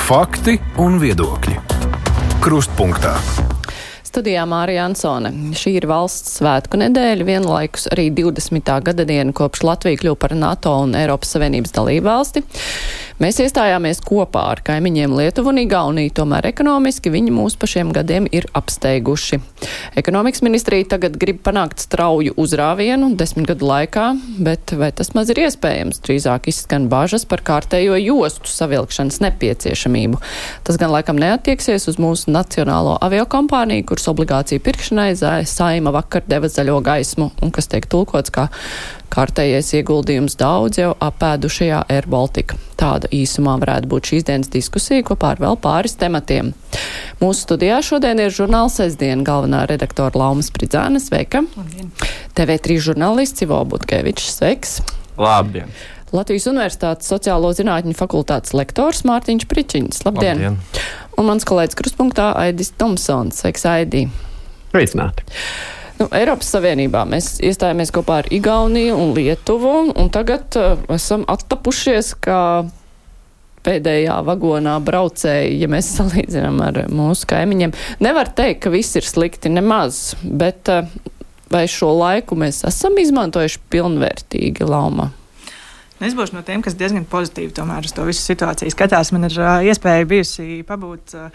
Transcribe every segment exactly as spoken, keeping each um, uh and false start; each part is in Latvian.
Fakti un viedokļi. Krustpunktā. Studijā Mārija Ansone. Šī ir valsts svētku nedēļa, vienlaikus arī divdesmitā gada diena, kopš Latvija kļuva par NATO un Eiropas Savienības dalībvalsti. Mēs iestājāmies kopā ar kaimiņiem Lietuvu un Igauniju, tomēr ekonomiski viņi mūs pa šiem gadiem ir apsteiguši. Ekonomikas ministrija tagad grib panākt strauju uzrāvienu desmit gadu laikā, bet vai tas maz ir iespējams? Drīzāk izskan bažas par kārtējo jostu savilkšanas nepieciešamību. Tas gan laikam neattieksies uz mūsu nacionālo aviokompāniju, kuras obligāciju pirkšanai Saeima vakar deva zaļo gaismu, un kas tiek tulkots kā kārtējais ieguldījums daudz jau apēdušajā Air Baltica. Tāda īsumā varētu būt šīs dienas diskusija kopā ar vēl pāris tematiem. Mūsu studijā šodien ir žurnāla Sestdiena galvenā redaktora Lauma Spridzāne. Sveika! Labdien! T V trīs žurnālists Ivo Butkevičs. Sveiks! Labdien! Latvijas Universitātes sociālo zinātņu fakultātes lektors Mārtiņš Pričiņš. Labdien! Labdien! Un mans kolēģis Krustpunktā Aidis Tomsons. Sveiks, Aidī! Sveicināti! Nu, Eiropas Savienībā mēs iestājāmies kopā ar Igauniju un Lietuvu, un tagad uh, esam attapušies kā pēdējā vagonā braucēji, ja mēs salīdzinām ar mūsu kaimiņiem. Nevar teikt, ka viss ir slikti, nemaz, bet uh, vai šo laiku mēs esam izmantojuši pilnvērtīgi, Lauma? Es būšu no tiem, kas diezgan pozitīvi tomēr uz to visu situāciju skatās. Man ir uh, iespēja bijusi pabūt uh,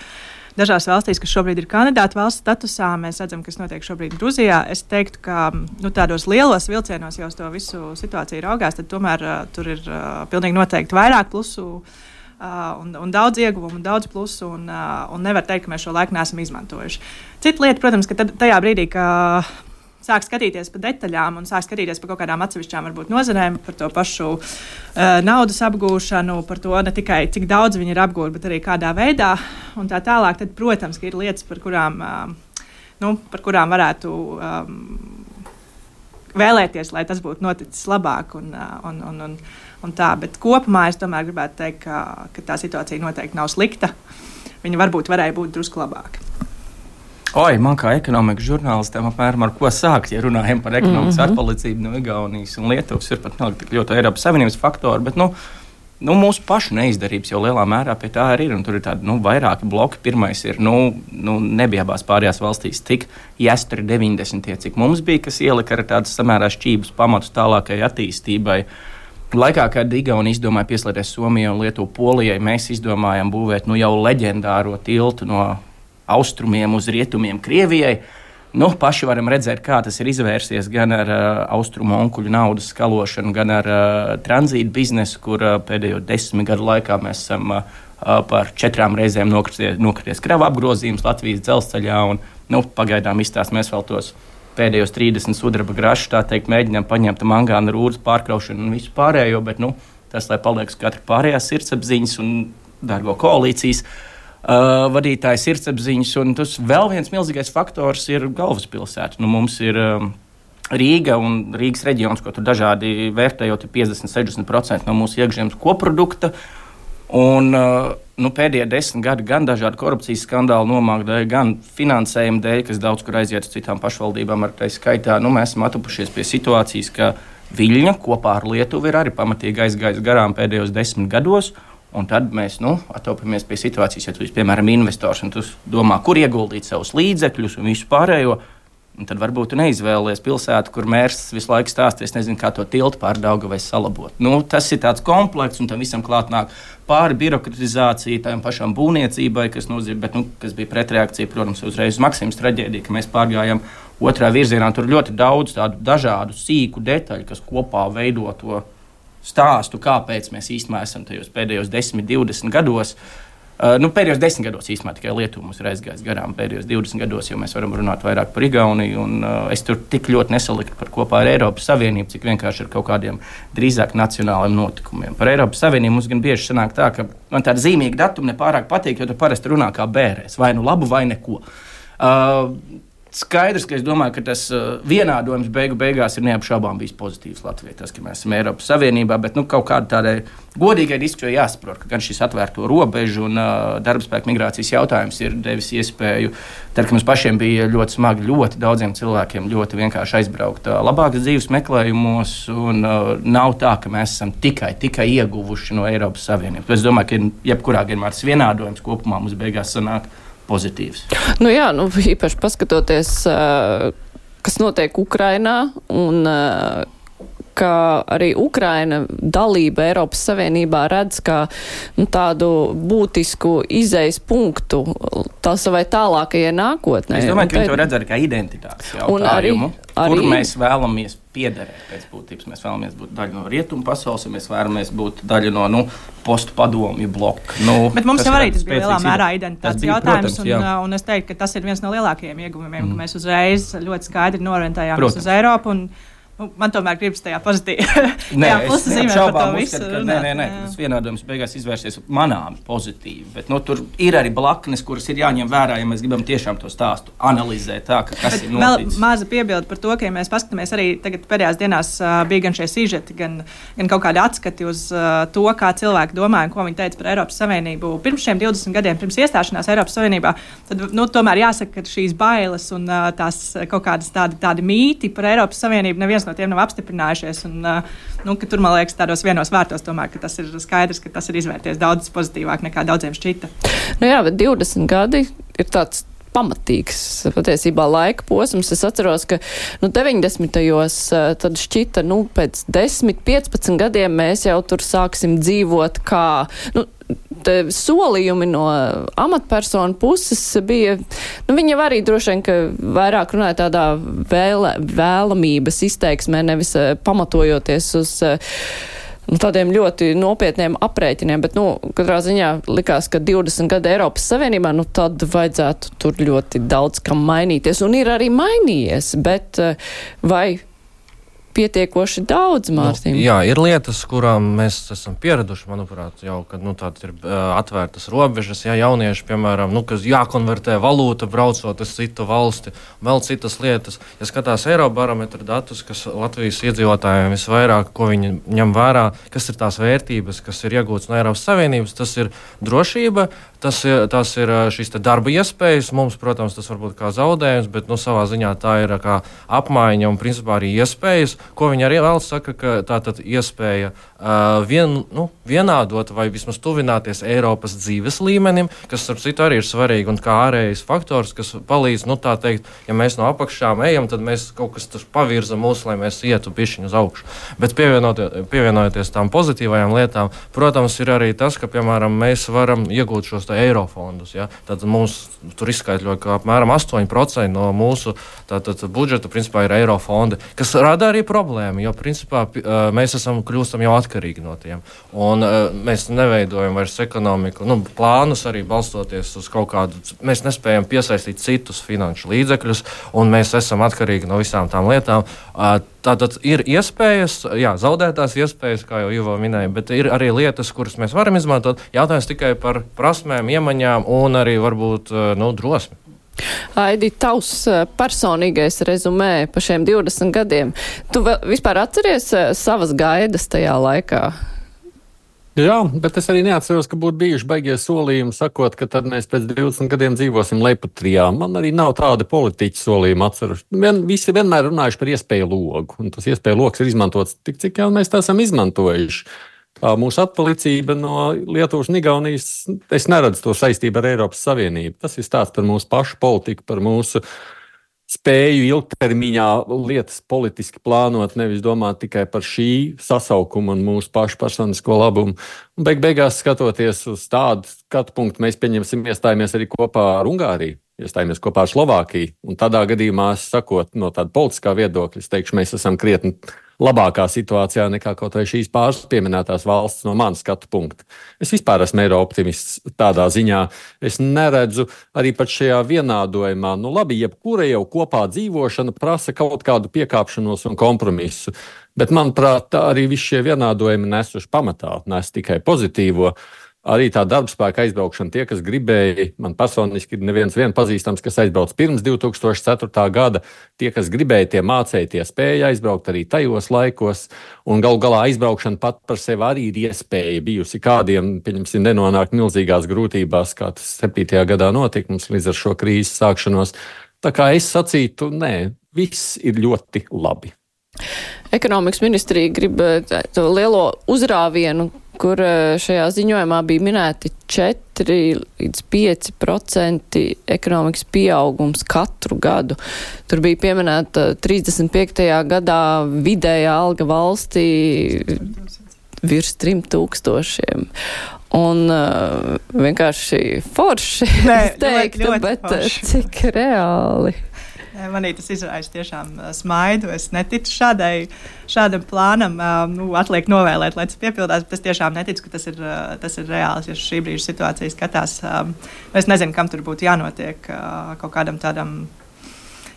dažās valstīs, kas šobrīd ir kandidātu valsts statusā. Mēs redzam, kas notiek šobrīd Gruzijā. Es teiktu, ka nu, tādos lielos vilcienos jau uz to visu situāciju raugās, tad tomēr uh, tur ir uh, pilnīgi noteikti vairāk plusu uh, un, un daudz ieguvumu, un daudz plusu, un, uh, un nevar teikt, ka mēs šo laiku neesam izmantojuši. Cita lieta, protams, ka tad, tajā brīdī, ka sāk skatīties pa detaļām un sāk skatīties par kaut kādām atsevišķām varbūt nozarēm, par to pašu uh, naudas apgūšanu, par to ne tikai cik daudz viņi ir apgūti, bet arī kādā veidā un tā tālāk, tad, protams, ka ir lietas, par kurām, uh, nu, par kurām varētu um, vēlēties, lai tas būtu noticis labāk un, uh, un, un, un, un tā, bet kopumā es tomēr gribētu teikt, ka, ka tā situācija noteikti nav slikta. Viņa varbūt varēja būt drusku labāka. Oi, man kā ekonomikas žurnālistam apmēram ar ko sākt, ja runājam par ekonomikas mm-hmm. atpalicību no Igaunijas un Lietuvas, ir pat nav tik ļoti Eiropas Savienības faktori, bet nu, nu, mūsu pašu neizdarības jau lielā mērā pie tā arī ir, un tur ir tādi nu, vairāki bloki. Pirmais ir, nu, nu nebija abās pārējās valstīs tik jāsturi deviņdesmitie, cik mums bija, kas ielika ar tādas samērā šķības pamatus tālākai attīstībai. Laikā, kad Igaunija izdomāja pieslēgties Somijai un Lietuvu Polijai, mēs izdomājām būvēt nu, jau leģendāro tiltu no austrumiem uz rietumiem Krievijai. Nu, paši varam redzēt, kā tas ir izvērsies gan ar uh, austrumu onkuļu naudas skalošanu, gan ar uh, tranzītu biznesu, kur uh, pēdējo desmit gadu laikā mēs esam uh, par četrām reizēm nokrities, nokrities krava apgrozījums Latvijas dzelzceļā. Un, nu, pagaidām izstāst mēs vēl tos pēdējos trīsdesmit sudraba grašus, tā teikt, mēģinām paņemt mangāna rūdas pārkraušanu un visu pārējo, bet nu, tas, lai paliek uz katra pārējās sirdsapziņas un dargo koalīcijas Uh, vadītāja sirdsapziņas, un tas vēl viens milzīgais faktors ir galvaspilsēta. Nu, mums ir um, Rīga un Rīgas reģions, ko tur dažādi vērtējot, ir piecdesmit līdz sešdesmit procenti no mūsu iekšzemes koprodukta. Un, uh, nu, pēdējie desmit gadi gan dažādi korupcijas skandāli nomāk dēļ, gan finansējuma dēļ, kas daudz kur aiziet uz citām pašvaldībām, ar tai skaitā. Nu, mēs esam atupušies pie situācijas, ka Viļņa kopā ar Lietuvu ir arī pamatīgi aizgājis garām pēdējos desmit gados. Un tad mēs nu, atopamies pie situācijas, ja tu esi, piemēram, investors un tu domā, kur ieguldīt savus līdzekļus un visu pārējo. Un tad varbūt tu neizvēlies pilsētu, kur mērs visu laiku stāsties, nezinu, kā to tiltu pār Daugavai salabot. Nu, tas ir tāds komplekss, un tam visam klāt nāk pāri birokratizācija, tām pašām būvniecībai, kas, nozīm, bet, nu, kas bija pretreakcija, protams, uzreiz uz Maksimas traģēdiju, ka mēs pārgājām otrā virzienā. Tur ļoti daudz tādu dažādu sīku detaļu, kas kopā veido to stāstu, kāpēc mēs īstenībā esam tajos pēdējos desmit, divdesmit gados. Uh, nu, pēdējos desmit gados īstenībā tikai Lietuva mums ir aizgājis garām. Pēdējos divdesmit gados jau mēs varam runāt vairāk par Igauniju, un uh, es tur tik ļoti nesaliktu par kopā ar Eiropas Savienību, cik vienkārši ar kaut kādiem drīzāk nacionāliem notikumiem. Par Eiropas Savienību mums gan bieži sanāk tā, ka man tāda zīmīga datuma nepārāk patīk, jo tu parasti runā kā bērēs, vai nu labu, vai neko. Uh, skaidrs, ka es domāju, ka tas uh, vienādojums beigu beigās ir neapšaubām bijis pozitīvs Latvijai. Tas, ka mēs esam Eiropas Savienībā, bet nu, kaut kāda tādai godīgai diskusijai jāsaprot, ka gan šis atvērto robežu un uh, darbspēku migrācijas jautājums ir devis iespēju, tad, ka mums pašiem bija ļoti smagi, ļoti daudziem cilvēkiem ļoti vienkārši aizbraukt uh, labākas dzīves meklējumos, un uh, nav tā, ka mēs esam tikai, tikai ieguvuši no Eiropas Savienības. Es domāju, ka jebkurā gadījumā tas vienādojums kopumā mums beigās sanāk pozitīvs. Nu jā, nu īpaši paskatoties, uh, kas notiek Ukrainā un uh, ka arī Ukraina dalība Eiropas Savienībā redz kā nu, tādu būtisku izejas punktu tā savai tālākajai nākotnē. Es domāju, ka viņi to redz arī kā identitātes jautājumu, arī, arī, kur mēs vēlamies piederēt pēc būtības. Mēs vēlamies būt daļa no rietumu pasaules, mēs vēlamies būt daļa no nu, postu padomju bloka. Nu, Bet mums jau arī tas bija lielā mērā identitātes bija, jautājums, protams, un, un es teiktu, ka tas ir viens no lielākajiem ieguvumiem, mm. ka mēs uzreiz ļoti skaidri norentējāmies uz Eiropu. Un, Nu, man tomēr gribas tajā pozitīvā pusē zīmēt par to visu. Uzskat, ka, nē, nē, nē, tas vienādojums beigās izvērsies manām pozitīvi, bet nu, tur ir arī blaknes, kuras ir jāņem vērā, ja mēs gribam tiešām to stāstu analizēt tā, ka kas bet ir noticis. Vēl maza piebilde par to, ka ja mēs paskatāmies arī tagad pēdējās dienās uh, bija gan šie sižeti, gan, gan kaut kādi atskati uz uh, to, kā cilvēki domāja un ko viņi teica par Eiropas Savienību. Pirms šiem divdesmit gadiem, pirms iestāšanās Eiropas Savienībā, tad nu, tomēr jāsaka, ka šīs bailes un uh, tās kaut kādas tādi, tādi mīti par Eiropas Savienību neviens no tiem nav apstiprinājušies. Un, nu, tur, man liekas, tādos vienos vārtos tomēr, ka tas ir skaidrs, ka tas ir izvērties daudz pozitīvāk nekā daudziem šķita. Nu jā, bet divdesmit gadi ir tāds pamatīgs patiesībā laika posms. Es atceros, ka nu, deviņdesmitajos tad šķita, nu, pēc desmit, piecpadsmit gadiem mēs jau tur sāksim dzīvot kā, nu, solījumi no amatpersonu puses bija, nu, viņi arī droši vien, ka vairāk runāja tādā vēle, vēlamības izteiksmē, nevis pamatojoties uz nu, tādiem ļoti nopietniem aprēķiniem, bet, nu, katrā ziņā likās, ka divdesmit gadi Eiropas Savienībā, nu, tad vajadzētu tur ļoti daudz kam mainīties, un ir arī mainījies, bet vai pietiekoši daudz, Mārtiņ? Nu, jā, ir lietas, kurām mēs esam pieraduši, manuprāt, jau, kad nu, tādas ir uh, atvērtas robežas, ja jaunieši, piemēram, nu, kas jākonvertē valūta, braucot uz citu valsti, vēl citas lietas. Ja skatās Eirobarometra datus, kas Latvijas iedzīvotājiem visvairāk, ko viņi ņem vērā, kas ir tās vērtības, kas ir iegūtas no Eiropas Savienības, tas ir drošība, tas ir, tas ir šīs te darba iespējas. Mums, protams, tas var būt kā zaudējums, bet nu, savā ziņā tā ir kā apmaiņa un principā arī iespējas, ko viņi arī vēl saka, ka tā tad iespēja uh, vien, nu, vienādot vai vismaz tuvināties Eiropas dzīves līmenim, kas, starp citu, arī ir svarīgi un kā ārējais faktors, kas palīdz, nu tā teikt, ja mēs no apakšām ejam, tad mēs kaut kas tur pavirza mūs, lai mēs ietu bišķiņu uz augšu. Bet pievienojoties tām pozitīvajām lietām, protams, ir arī tas, ka, piemēram, mēs varam iegūt šos eirofondus. Ja? Tad mums tur izskaitļo, ka apmēram astoņi procenti no mūsu tātad, budžeta principā ir eirofondi, kas rada arī problēmu, jo principā mēs esam kļūstam jau atkarīgi no tiem. Un mēs neveidojam vairs ekonomiku, nu, plānus arī balstoties uz kaut kādu, mēs nespējam piesaistīt citus finanšu līdzekļus, un mēs esam atkarīgi no visām tām lietām. Tātad ir iespējas, jā, zaudētās iespējas, kā jau Ivo minēja, bet ir arī lietas, kuras mēs varam izmantot. Jautājums tikai par prasmēm, iemaņām un arī varbūt nu, drosmi. Aidi, tavs personīgais rezumē pa šiem divdesmit gadiem. Tu vispār atceries savas gaidas tajā laikā? Jā, bet es arī neatceros, ka būtu bijuši baigie solījumi, sakot, ka tad mēs pēc divdesmit gadiem dzīvosim Lepatrijā. Man arī nav tāda politiķa solījuma atceros. Vien, visi vienmēr runājuši par iespēju logu, un tas iespēju logs ir izmantots tik, cik jau mēs tā esam izmantojuši. Tā mūsu atpalicība no Lietuvas un Igaunijas, es neredzu to saistību ar Eiropas Savienību. Tas ir stāsts par mūsu pašu politiku, par mūsu spēju ilgtermiņā lietas politiski plānot, nevis domāt tikai par šī sasaukuma un mūsu pašu personisko labumu. Un beig beigās skatoties uz tādu skatu punktu, mēs pieņemsim iestājamies arī kopā ar Ungāriju, iestājamies kopā ar Slovākiju. Un tādā gadījumā, sakot no tāda politiskā viedokļa, es teikšu, mēs esam krietni labākā situācijā nekā kaut vai šīs pāris pieminētās valsts no manas skatu punkta. Es vispār esmu eiro-optimists tādā ziņā. Es neredzu arī pat šajā vienādojumā. Nu labi, jebkura jau kopā dzīvošana prasa kaut kādu piekāpšanos un kompromisu. Bet, manuprāt, arī visi šie vienādojumi nesuši pamatā, nes tikai pozitīvo. Arī tā darbspēka aizbraukšana, tie, kas gribēja, man personiski ir neviens vien pazīstams, kas aizbrauc pirms divi tūkstoši ceturtā gada. Tie, kas gribēja, tie mācēja, tie spēja aizbraukt arī tajos laikos. Un galu galā aizbraukšana pat par sevi arī ir iespēja bijusi kādiem, pieņemsim, nenonākt milzīgās grūtībās, kā tas septītajā gadā notika mums līdz ar šo krīzes sākšanos. Tā kā es sacītu, nē, viss ir ļoti labi. Ekonomikas ministrija grib to lielo uzrāvienu, kur šajā ziņojumā bija minēti četri līdz pieci procenti ekonomikas pieaugums katru gadu. Tur bija pieminēta trīsdesmit piektajā gadā vidējā alga valstī virs trim tūkstošiem. Un uh, vienkārši forši, Nē, es teiktu, ļoti, ļoti bet forši. Cik reāli? Manī tas izraisa tiešām smaidu. Es neticu šādai, šādam plānam. Nu, atliek novēlēt, lai tas piepildās, bet es tiešām neticu, ka tas ir, tas ir reāls. Ja šī brīža situācija skatās, es nezinu, kam tur būtu jānotiek kaut kādam tādam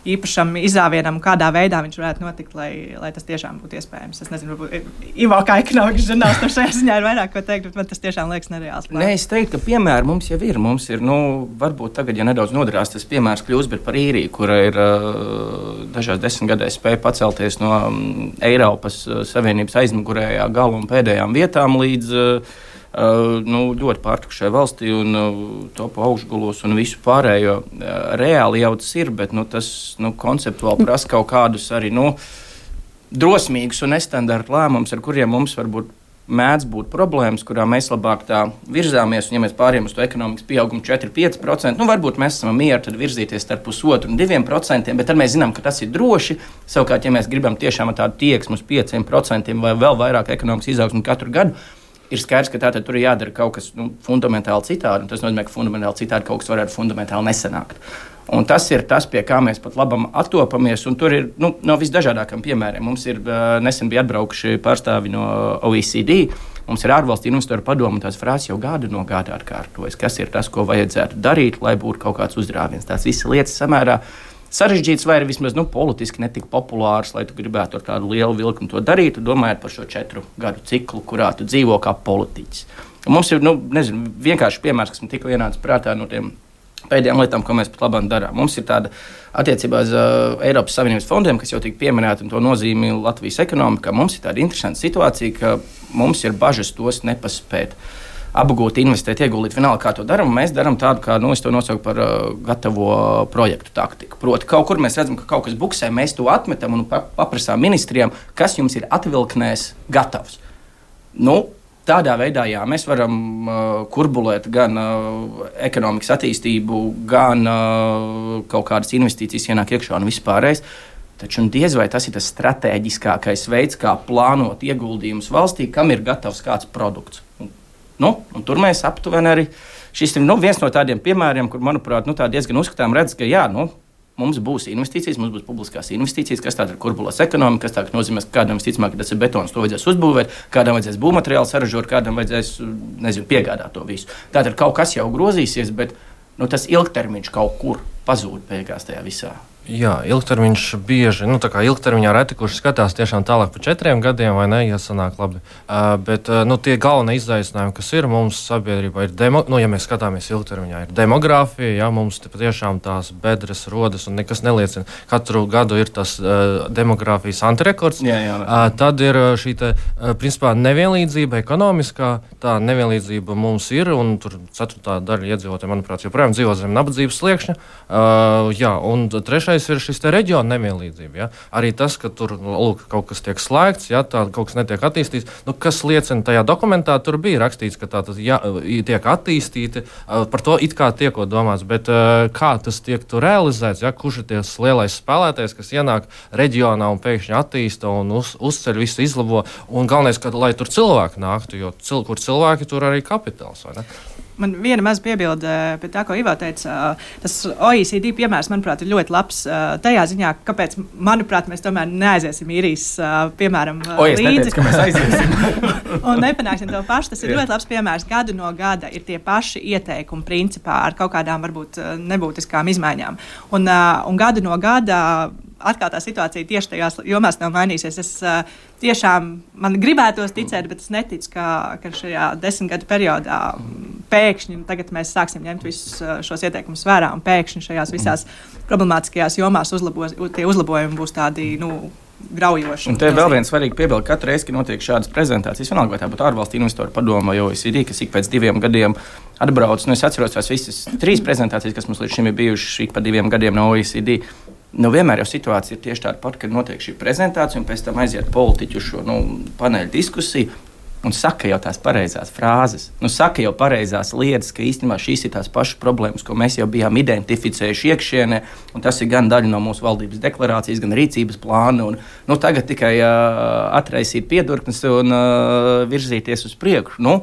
īpašam izrāvienam, kādā veidā viņš varētu notikt, lai, lai tas tiešām būtu iespējams. Es nezinu, varbūt Ivo kā ekonomikas žurnālistam šajā ziņā ir vairāk ko teikt, bet man tas tiešām liekas nereāls. Nē, es teiktu, ka piemēri mums jau ir. Mums ir, nu, varbūt tagad, ja nedaudz nodarās, tas piemērs kļūst, bet par īriju, kura ir uh, dažās desmitgadēs spēja pacelties no um, Eiropas uh, Savienības aizmugurējā gala un pēdējām vietām līdz uh, Uh, nu, ļoti pārtukušai valstī un uh, topu augšgulos un visu pārējo. Uh, reāli jau tas ir, bet nu, tas nu, konceptuāli prasa kaut kādus arī nu, drosmīgus un nestandarta lēmumus, ar kuriem mums varbūt mēdz būt problēmas, kurā mēs labāk tā virzāmies. Un, ja mēs pārējām uz to ekonomikas pieaugumu četri līdz pieci procenti, nu, varbūt mēs esam mieri tad virzīties starp pusotru un diviem procentiem, bet tad mēs zinām, ka tas ir droši. Savukārt, ja mēs gribam tiešām tādu tieksmu uz pieciem procentiem vai vēl vairāk ekonomikas izaugsmu katru gadu, ir skaidrs, ka tātad tur ir jādara kaut kas nu, fundamentāli citādi. Tas nozīmē, ka fundamentāli citādi kaut kas varētu fundamentāli nesanākt. Un tas ir tas, pie kā mēs pat labam attopamies. Un tur ir nu, no visdažādākajiem piemēriem. Mums ir uh, nesen bija atbraukuši pārstāvi no O E C D. Mums ir ārvalstu investoru padome, un tās frāzes jau gadu no gada atkārtojas. Kas ir tas, ko vajadzētu darīt, lai būtu kaut kāds uzdrāviens? Tās visas lietas samērā sarežģīts vai arī vismaz nu, politiski netik populārs, lai tu gribētu ar tādu lielu vilkumu to darīt, domājot par šo četru gadu ciklu, kurā tu dzīvo kā politiķis. Un mums ir nu, nezinu, vienkārši piemērs, kas man tikko ienāca prātā no tiem pēdējām lietām, ko mēs pat labāk darām. Mums ir tāda attiecībā uz uh, Eiropas Savienības fondiem, kas jau tika pieminēta un to nozīmi Latvijas ekonomikā. Mums ir tāda interesanta situācija, ka mums ir bažas tos nepaspēt. Apgūt, investēt, ieguldīt, vienalga, kā to darām. Mēs darām tādu, kā nu, es to nosaucu par uh, gatavo projektu taktiku. Proti, kaut kur mēs redzam, ka kaut kas buksē, mēs to atmetam un paprasām ministrijām, kas jums ir atvilknēs gatavs. Nu, tādā veidā, jā, mēs varam uh, kurbulēt gan uh, ekonomikas attīstību, gan uh, kaut kādas investīcijas ienāk iekšā un vispārējais. Taču diez vai tas ir tas stratēģiskākais veids, kā plānot ieguldījumus valstī, kam ir gatavs kāds produkts. Nu, un tur mēs aptuveni arī šis ir nu, viens no tādiem piemēriem, kur, manuprāt, nu, tā diezgan uzskatām redz, ka jā, nu, mums būs investīcijas, mums būs publiskās investīcijas, kas tāda ir kurbulās ekonomika, kas tā nozīmē, ka kādam visticamāk, ka tas ir betons, to vajadzēs uzbūvēt, kādam vajadzēs būvmateriālu saražot, kādam vajadzēs, nezinu, piegādāt to visu. Tātad kaut kas jau grozīsies, bet nu, tas ilgtermiņš kaut kur pazūd beigās tajā visā. Jā, ilgtermiņš bieži, nu tā kā ilgtermiņā reti, kurš skatās tiešām tālāk par četriem gadiem, vai ne, ja sanāk labi. Uh, bet uh, nu, tie galvenie izaicinājumi, kas ir mums sabiedrībā, ir, demo, nu, ja mēs skatāmies ilgtermiņā, ir demogrāfija, ja mums patiešām tās bedres rodas un nekas neliecina. Katru gadu ir tas uh, demogrāfijas antirekords. Jā, jā, uh, tad ir šī te, uh, principā, nevienlīdzība ekonomiskā, tā nevienlīdzība mums ir, un tur ceturtā daļa iedzīvotāji, manuprāt, joprojām dzīvo zem nabadzības sliekšņa. Uh, jā, un trešais ir šis reģiona nevienlīdzība. Ja? Arī tas, ka tur lūk, kaut kas tiek slēgts, ja? tā, kaut kas netiek attīstīts, nu, kas liecina tajā dokumentā, tur bija rakstīts, ka tā tas ja, tiek attīstīti, par to it kā tiekot domāts, bet kā tas tiek tur realizēts, ja? Kurš ir ties lielais spēlētājs, kas ienāk reģionā un pēkšņi attīsta un uz, uzceļ visu izlabo, un galvenais, ka lai tur cilvēki nāktu, jo cil, kur cilvēki, tur arī kapitāls, vai ne? Man viena maza piebilde pie tā, ko Ivo teica. Tas O E C D piemērs, manuprāt, ir ļoti labs tajā ziņā, kāpēc, manuprāt, mēs tomēr neaiziesim īrijas piemēram o, līdzi. Neteicu, ka mēs aiziesim. Un nepanāksim to pašu. Tas ir ļoti labs piemērs. Gadu no gada ir tie paši ieteikumi principā ar kaut kādām varbūt nebūtiskām izmaiņām. Un, un gadu no gada atkal tā situācija tieši tajās jomās nav mainīsies. Es uh, tiešām man gribētos ticēt, bet es neticu, ka, ka šajā desmit gadu periodā pēkšņi tagad mēs sāksim ņemt visus uh, šos ieteikumus vērā un pēkšņi šajās visās problemātiskajās jomās uzlabos, tie uzlabojumi būs tādi, nu, graujoši. Un te vēl viens svarīgi piebildi, katru reizi, kad notiek šādas prezentācijas, vienalga vai tā būtu ārvalstu investoru padoma vai O E C D, kas ik pēc diviem gadiem atbrauc. Nu, es atceros tās visas trīs prezentācijas, kas mums līdz šim ir bijušas ik pa diviem gadiem no O E C D. Nu, vienmēr jau situācija ir tieši tāda pat, kad notiek šī prezentācija un pēc tam aiziet politiķu šo nu, paneļu diskusiju un saka jau tās pareizās frāzes. Nu, saka jau pareizās lietas, ka īstenībā šīs ir tās pašas problēmas, ko mēs jau bijām identificējuši iekšienē, un tas ir gan daļa no mūsu valdības deklarācijas, gan rīcības plāna. Un, nu, tagad tikai uh, atraisīt piedurknes un uh, virzīties uz priekšu. Nu,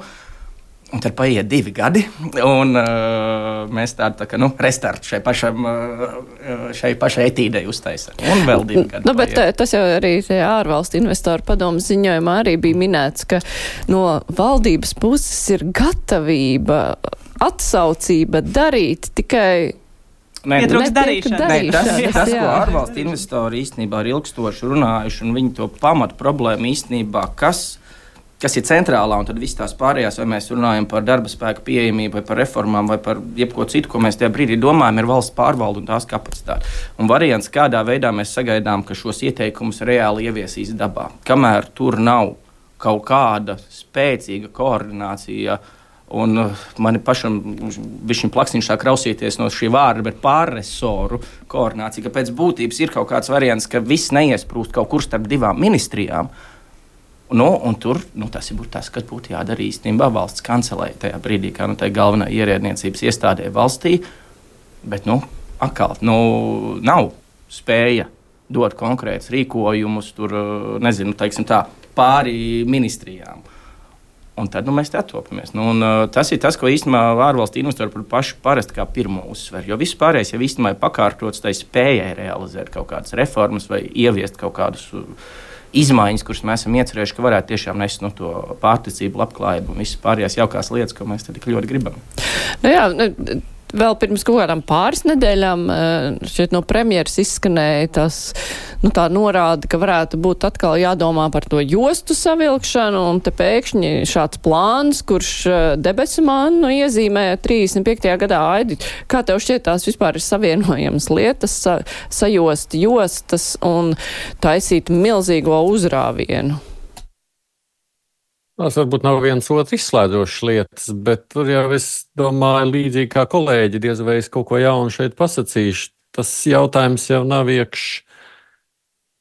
un tad paiet divi gadi, un uh, mēs tādu tā kā, nu, restartu šai, pašam, uh, šai pašai etīdei uztaisām. Un vēl divi gadi. Nu, bet paiet. Tas jau arī ārvalstu investoru padomas ziņojumā arī bija minēts, ka no valdības puses ir gatavība, atsaucība darīt tikai. Nē, darīšana. Nē, tas ir tas, ko ārvalstu investori īstenībā ir ilgstoši runājuši, un viņi to pamatu problēmu īstenībā, kas. kas ir centrālā, un tad viss tās pārējās, vai mēs runājam par darba spēku pieejamību, vai par reformām, vai par jebko citu, ko mēs tajā brīdī domājam, ir valsts pārvalde un tās kapacitāte. Un variants, kādā veidā mēs sagaidām, ka šos ieteikumus reāli ieviesīs dabā. Kamēr tur nav kaut kāda spēcīga koordinācija, un man pašam bišķiņ plaksiņš sāk rausīties no šī vārda, bet pārresoru koordinācija, ka pēc būtības ir kaut kāds variants, ka viss neiesprūst kaut kur starp divām ministrijām. Nu, un tur nu, tas ir tas, kas būtu jādara īstenībā valsts kancelē tajā brīdī, kā nu, tā galvenā ierēdniecības iestādē valstī. Bet nu, atkal nu, nav spēja dot konkrētus rīkojumus tur, nezinu, teiksim tā, pāri ministrijām. Un tad nu, mēs te attopamies. Nu, un, tas ir tas, ko īstenībā ārvalstu investori par pašu parasti kā pirmo uzsver. Jo viss pārējais jau īstenībā ir pakārtots tai spējai realizēt kaut kādas reformas vai ieviest kaut kādus izmaiņas, kuras mēs esam iecerējuši, ka varētu tiešām nest no to pārticību, labklājību un visas pārējās jaukās lietas, ko mēs tad tik ļoti gribam. Nu jā, vēl pirms kaut kādām pāris nedēļām šeit no premjeras izskanēja tas, nu tā norāda, ka varētu būt atkal jādomā par to jostu savilkšanu, un te pēkšņi šāds plāns, kurš debesu mānu nu, iezīmē trīsdesmit piektajā gadā. Aidi, kā tev šķiet tās vispār ir savienojamas lietas, sa, sajost jostas un taisīt milzīgo uzrāvienu? Tas varbūt nav viens otrs izslēdzošs lietas, bet tur jau es domāju, līdzīgi kā kolēģi, diez vai es kaut ko jaunu šeit pasacīšu. Tas jautājums jau nav iekš,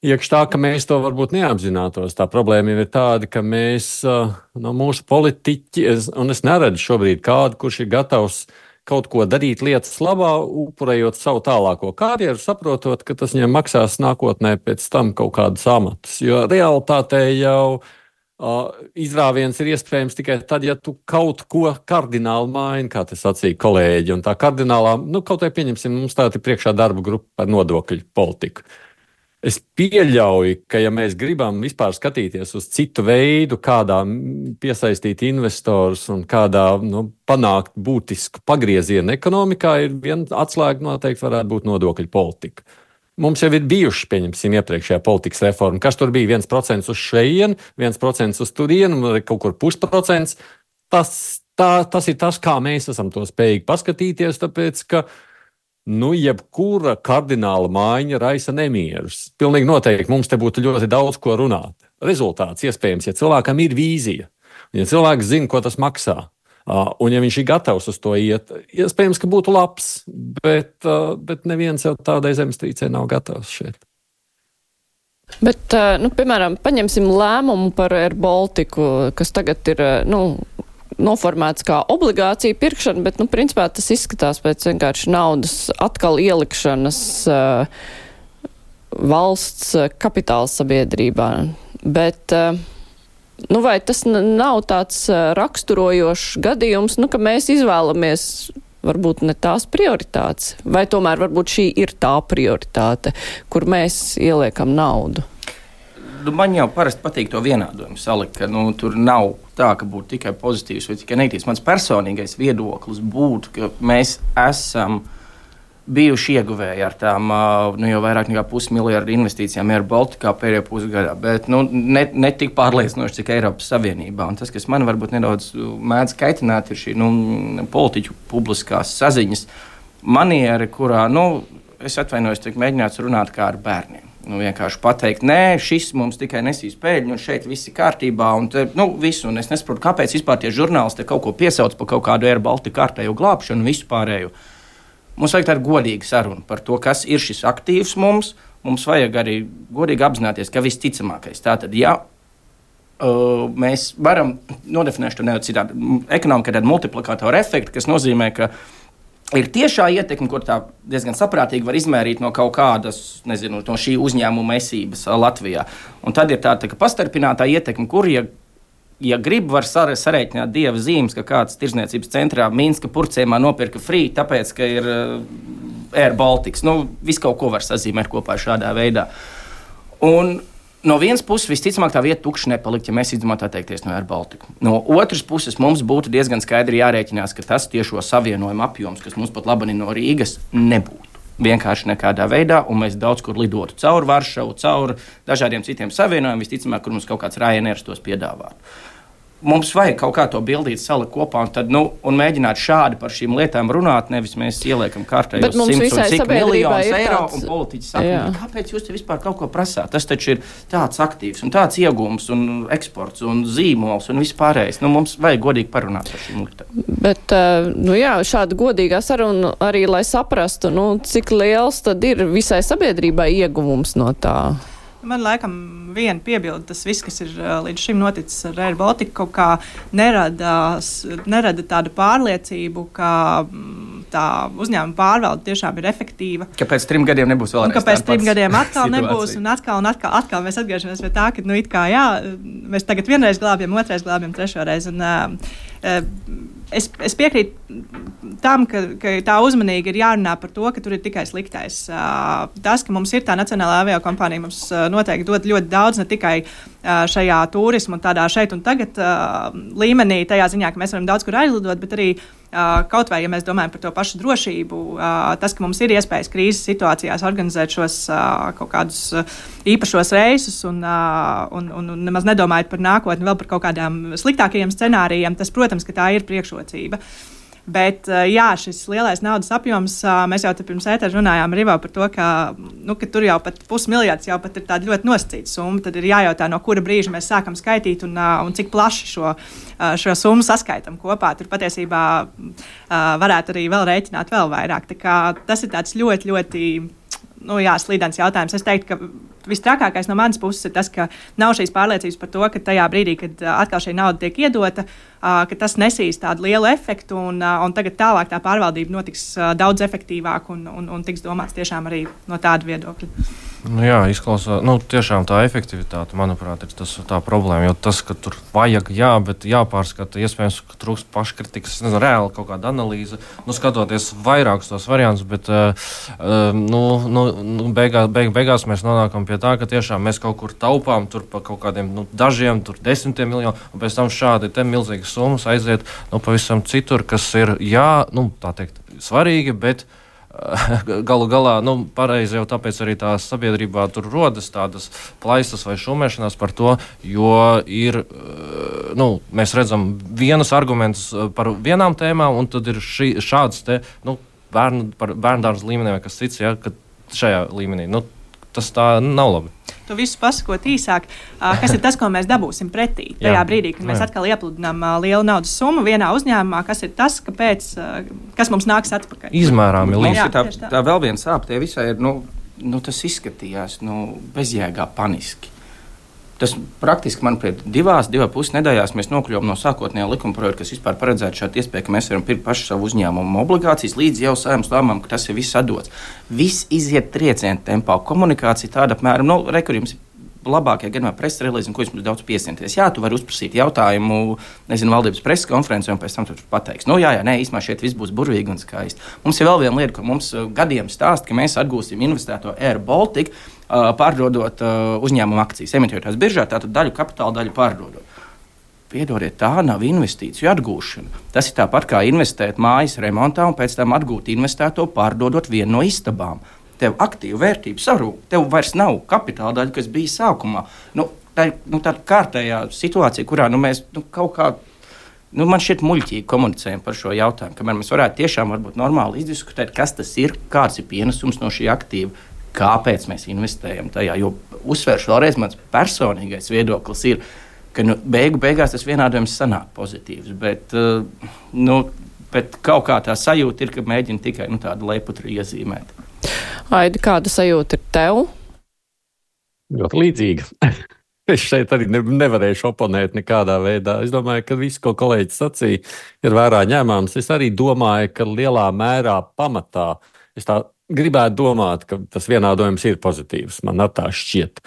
iekš tā, ka mēs to varbūt neapzinātos. Tā problēma ir tāda, ka mēs, no mūsu politiķi, un es neredzu šobrīd kādu, kurš ir gatavs kaut ko darīt lietas labā, upurējot savu tālāko karjeru, saprotot, ka tas viņam maksās nākotnē pēc tam kaut kādus amatus. Jo realitātē jau Uh, izrāviens ir iespējams tikai tad, ja tu kaut ko kardināli maini, kā te sacīja kolēģi. Un tā kardinālā, nu, kaut vai pieņemsim, mums tā ir priekšā darba grupa par nodokļu politiku. Es pieļauju, ka ja mēs gribam vispār skatīties uz citu veidu, kādā piesaistīt investorus un kādā nu, panākt būtisku pagriezienu ekonomikā, ir viena atslēga noteikti varētu būt nodokļu politika. Mums jau ir bijuši, pieņemsim, iepriekšējā politikas reforma, kas tur bija viens procents uz šejienu, viens procents uz turienu, kaut kur pusprocents. Tas, tā, tas ir tas, kā mēs esam to spējīgi paskatīties, tāpēc, ka, nu, jebkura kardināla maiņa raisa nemierus. Pilnīgi noteikti mums te būtu ļoti daudz ko runāt. Rezultāts iespējams, ja cilvēkam ir vīzija, ja cilvēks zina, ko tas maksā. Uh, un ja viņš ir gatavs uz to iet, iespējams, ka būtu labs, bet, uh, bet neviens jau tādai zemestrīcei nav gatavs šeit. Bet, uh, nu, piemēram, paņemsim lēmumu par Air Baltiku, kas tagad ir, nu, noformēts kā obligācija pirkšana, bet, nu, principā tas izskatās pēc vienkārši naudas atkal ielikšanas uh, valsts kapitāla sabiedrībā. Bet, uh, Nu, vai tas nav tāds raksturojošs gadījums, nu, ka mēs izvēlamies varbūt ne tās prioritātes, vai tomēr varbūt šī ir tā prioritāte, kur mēs ieliekam naudu? Nu, man jau parasti patīk to vienādojumu salikt, ka nu, tur nav tā, ka būtu tikai pozitīvs vai tikai negatīvs. Mans personīgais viedoklis būtu, ka mēs esam bijuši ieguvēji ar tām nu, jau vairāk nekā pusmiljardu investīcijām Air Balticā pēdējā pusgadā, bet nu, ne, ne tik pārliecinoši, cik Eiropas Savienībā. Un tas, kas man varbūt nedaudz mēdz kaitināt, ir šī nu, politiķu publiskās saziņas maniera, kurā, nu, es atvainojos, tiek mēģināts runāt kā ar bērniem. Nu, vienkārši pateikt, nē, šis mums tikai nesīs pēļņu, un šeit viss ir kārtībā, un te, nu, visu, un es nesaprotu, kāpēc vispār tie žurnālisti kaut ko piesauc par kaut kādu Air Baltica kārtējo glābšanu un visu pārējo. Mums vajag tādu godīgu sarunu par to, kas ir šis aktīvs mums. Mums vajag arī godīgi apzināties, ka visticamākais. Tātad, ja uh, mēs varam nodefinēt to nedaudz citādi, ekonomika ir tāda multiplikātora efekta, kas nozīmē, ka ir tiešā ietekme, kur tā diezgan saprātīgi var izmērīt no kaut kādas, nezinu, no šī uzņēmuma esības Latvijā. Un tad ir tāda tā, pastarpinātā ietekme, kur, ja Ja grib, var sarēķināt dieva zīmes, ka kāds tirzniecības centrā Minska purcēmā nopirka free, tāpēc, ka ir uh, Air Baltics. Nu, visu kaut ko var sazīmēt kopā šādā veidā. Un no vienas puses, visticamāk, tā vieta tukša nepalikt, ja mēs izdomātu atteikties no Air Baltica. No otras puses, mums būtu diezgan skaidri jārēķinās, ka tas tiešo savienojumu apjoms, kas mums pat labani no Rīgas, nebūtu. Vienkārši nekādā veidā, un mēs daudz kur lidotu caur Varšavu, caur dažādiem citiem savienojumiem, visticamāk, kur mums kaut kāds Ryanair tos piedāvātu. Mums vajag kaut kā to bildīt, salikt kopā un, tad, nu, un mēģināt šādi par šīm lietām runāt, nevis mēs ieliekam kārtējos simts un cik miljonus eiro tāds... un politiķi saka, kāpēc jūs te vispār kaut ko prasāt? Tas taču ir tāds aktīvs un tāds iegūms un eksports un zīmols un vispārējais. Nu, mums vajag godīgi parunāt par šīm lietām. Bet, nu jā, šāda godīgā saruna arī, lai saprastu, nu, cik liels tad ir visai sabiedrībai ieguvums no tā. Man laikam viena piebilde, tas viss, kas ir līdz šim noticis ar Air Baltica, kaut kā nerada, nerada tādu pārliecību, ka tā uzņēmuma pārvalde tiešām ir efektīva. Ka pēc trim gadiem nebūs vēlreiz un ka pēc trim gadiem atkal nebūs, un atkal un atkal, atkal mēs atgriežamies pie tā, ka, nu, it kā, jā, mēs tagad vienreiz glābjam, otrais glābjam, trešo reizi, un uh, es, es piekrītu tam, ka, ka tā uzmanīgi ir jārunā par to, ka tur ir tikai sliktais. Uh, tas, ka mums ir tā nacionālā aviokompānija, mums uh, noteikti dod ļoti daudz, ne tikai uh, šajā turismu un tādā šeit un tagad uh, līmenī, tajā ziņā, ka mēs varam daudz kur aizlidot, bet arī Uh, kaut vai, ja mēs domājam par to pašu drošību, uh, tas, ka mums ir iespējas krīzes situācijās organizēt šos uh, kaut kādus uh, īpašos reisus un, uh, un, un, un nemaz nedomājot par nākotni, vēl par kaut kādām sliktākajiem scenārijiem, tas, protams, ka tā ir priekšrocība. Bet, jā, šis lielais naudas apjoms, mēs jau te pirms ētera runājām ar Ivo par to, ka, nu, ka tur jau pat pusmiljards jau pat ir tāda ļoti nosacīta summa. Tad ir jājautā, no kura brīža mēs sākam skaitīt un, un cik plaši šo, šo summu saskaitam kopā. Tur patiesībā varētu arī vēl rēķināt vēl vairāk. Tā kā tas ir tāds ļoti, ļoti nu, jā, slīdens jautājums. Es teiktu, ka vistrakākais no manas puses ir tas, ka nav šīs pārliecības par to, ka tajā brīdī, kad atkal šī nauda tiek iedota, ka tas nesīs tādu lielu efektu un, un tagad tālāk tā pārvaldība notiks daudz efektīvāk un, un, un tiks domāts tiešām arī no tāda viedokļa. Nu jā, izklausās, nu tiešām tā efektivitāte, manuprāt, ir tas tā problēma, jo tas, ka tur vajag, jā, bet jāpārskata, iespējams, ka trūkst paškritikas, nezinu, reāli kaut kāda analīze, nu skatoties vairākus tos variantus, bet, uh, nu, nu, beigā, beig, beigās mēs nonākam pie tā, ka tiešām mēs kaut kur taupām tur pa kaut kādiem, nu, dažiem, tur desmitiem miljonu, un pēc tam šādi te milzīgas summas aiziet, nu, pavisam citur, kas ir, jā, nu, tā teikt, svarīgi, bet galu galā, nu, pareizi jau tāpēc arī tā sabiedrībā tur rodas tādas plaisas vai šumēšanās par to, jo ir, nu, mēs redzam vienus argumentus par vienām tēmām, un tad ir šī, šāds te, nu, bērnu, par bērndārzu līmenī vai kas cits, ja, kad šajā līmenī, nu, tas tā nav labi. To visu pasakot īsāk, kas ir tas, ko mēs dabūsim pretī. Tajā brīdī, kad mēs atkal iepludinām lielu naudas summu vienā uzņēmumā, kas ir tas, kāpēc, kas mums nāks atpakaļ. Izmērāmi līdzīgi. Jā, tā, tā. tā vēl viena sāp, tie visai ir, nu, nu, tas izskatījās, nu, bezjēgā paniski. Tas praktiski, manuprāt, divās, divā pus nedēļās mēs nokļuvām no sākotnējā likuma projekta, kas vispār paredzētu šādu iespēju, ka mēs varam pirkt pašu savu uzņēmumu obligācijas, līdz jau Saeimas lēmumam, ka tas ir viss atdots. Viss iziet trieciena tempā, komunikācija tāda apmēram, nu, re, kur jums labākajā gadījumā preses relīze, un ko jūs mums daudz piesienties. Jā, tu vari uzprasīt jautājumu, nezinu, valdības preses konferencē, un pēc tam tu pateiks, nu jā, jā, nē, īstenībā šeit viss būs burvīgi un skaisti. Mums ir vēl viena lieta, ko mums gadiem stāst, ka mēs atgūsim investēto Air Baltica, uh, pārdodot uh, uzņēmumu akcijas, emitējot tās biržā, tātad daļu kapitāla, daļu pārdodot. piedodiet, tā nav investīciju atgūšana. Tas ir tāpat kā investēt mājas remontā un pēc tam atgūt investēto, pārdodot vienu no istabām. Tev aktīva vērtība sarūk, tev vairs nav kapitāla daļa, kas bija sākumā. Nu, tā ir nu, tāda kārtējā situācija, kurā nu, mēs nu, kaut kā, nu, man šķiet muļķīgi komunicējam par šo jautājumu, kamēr mēs varētu tiešām varbūt normāli izdiskutēt, kas tas ir, kāds ir pienesums no šī aktīva, kāpēc mēs investējam tajā. Jo uzsvēršu vēlreiz, mans personīgais viedoklis ir, ka nu, beigu beigās tas vienādojums sanāk pozitīvs, bet, uh, nu, bet kaut kā tā sajūta ir, ka mēģina tikai nu, tādu leputru iezīmēt. Aidi, kāda sajūta ir tev? Ļoti līdzīga. Es šeit arī ne, nevarēšu oponēt nekādā veidā. Es domāju, ka viss, ko kolēģis sacīja, ir vērā ņēmāms. Es arī domāju, ka lielā mērā pamatā es tā gribētu domāt, ka tas vienādojums ir pozitīvs. Man tā šķiet.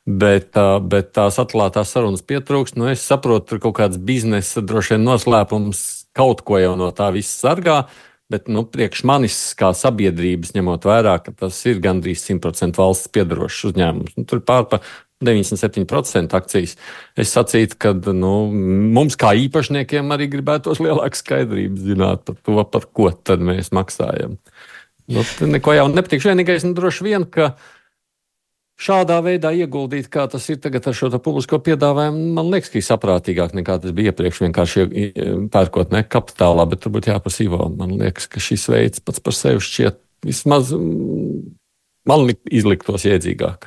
Bet, bet tās atklātās sarunas pietrūkst. Nu, es saprotu, tur kaut kāds biznesa droši vien noslēpums kaut ko jau no tā viss sargā. Bet nu, priekš manis kā sabiedrības, ņemot vērā, ka tas ir gandrīz simt procenti valsts piedarošs uzņēmums. Nu, tur pār pa deviņdesmit septiņi procenti akcijas. Es sacītu, ka nu, mums kā īpašniekiem arī gribētos lielāku skaidrību zināt par to, par ko tad mēs maksājam. Nu, neko jau nepatīkšu. Vienīgais, nu, droši vien, ka šādā veidā ieguldīt, kā tas ir tagad ar šo publisko piedāvājumu, man liekas, ka ir saprātīgāk nekā tas bija iepriekš vienkārši pērkot ne kapitālā, bet turbūt jāprasa Ivo. Man liekas, ka šis veids pats par sevi šķiet vismaz man izliktos iedzīgāk.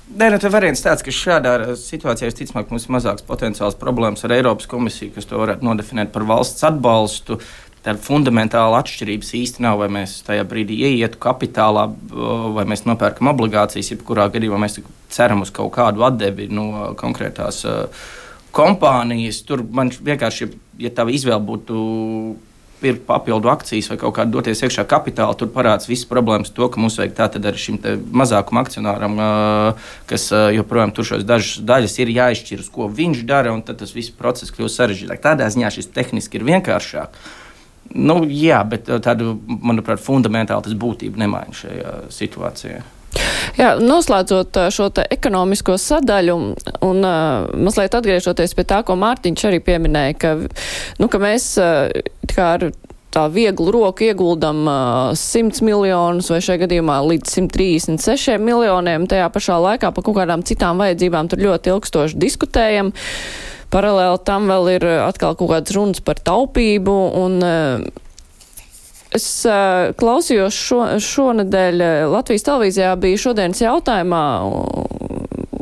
Nē, nu, tā variants tāds, ka šādā situācijā visticamāk mums ir mazāks potenciāls problēmas ar Eiropas komisiju, kas to varētu nodefinēt par valsts atbalstu. Tāda fundamentāla atšķirības īsti nav, vai mēs tajā brīdī ieietu kapitālā, vai mēs nopērkam obligācijas, jebkurā gadījumā mēs ceram uz kaut kādu atdevi no konkrētās uh, kompānijas. Tur man vienkārši, ja tā izvēle būtu pirkt papildu akcijas vai kaut kādu doties iekšā kapitāla, tur parādās visas problēmas to, ka mums vajag tātad arī šim mazākuma akcionāram, uh, kas uh, joprojām tur šos dažas daļas ir jāizšķir, uz ko viņš dara, un tad tas viss process kļūst sarežģītāk. Tādā ziņā šis tehniski ir vienkāršāk. Nu, jā, bet tādu, manuprāt, fundamentāli tas būtību nemaina šajā situācijā. Jā, noslēdzot šo te ekonomisko sadaļu un uh, mazliet atgriežoties pie tā, ko Mārtiņš arī pieminēja, ka, nu, ka mēs uh, kā ar tā vieglu roku ieguldam uh, simts miljonus vai šajā gadījumā līdz simt trīsdesmit sešiem miljoniem, tajā pašā laikā par kaut kādām citām vajadzībām tur ļoti ilgstoši diskutējam. Paralēli tam vēl ir atkal kaut kāds runas par taupību, un es klausījos šo, šonedēļ Latvijas televīzijā bija šodienas jautājumā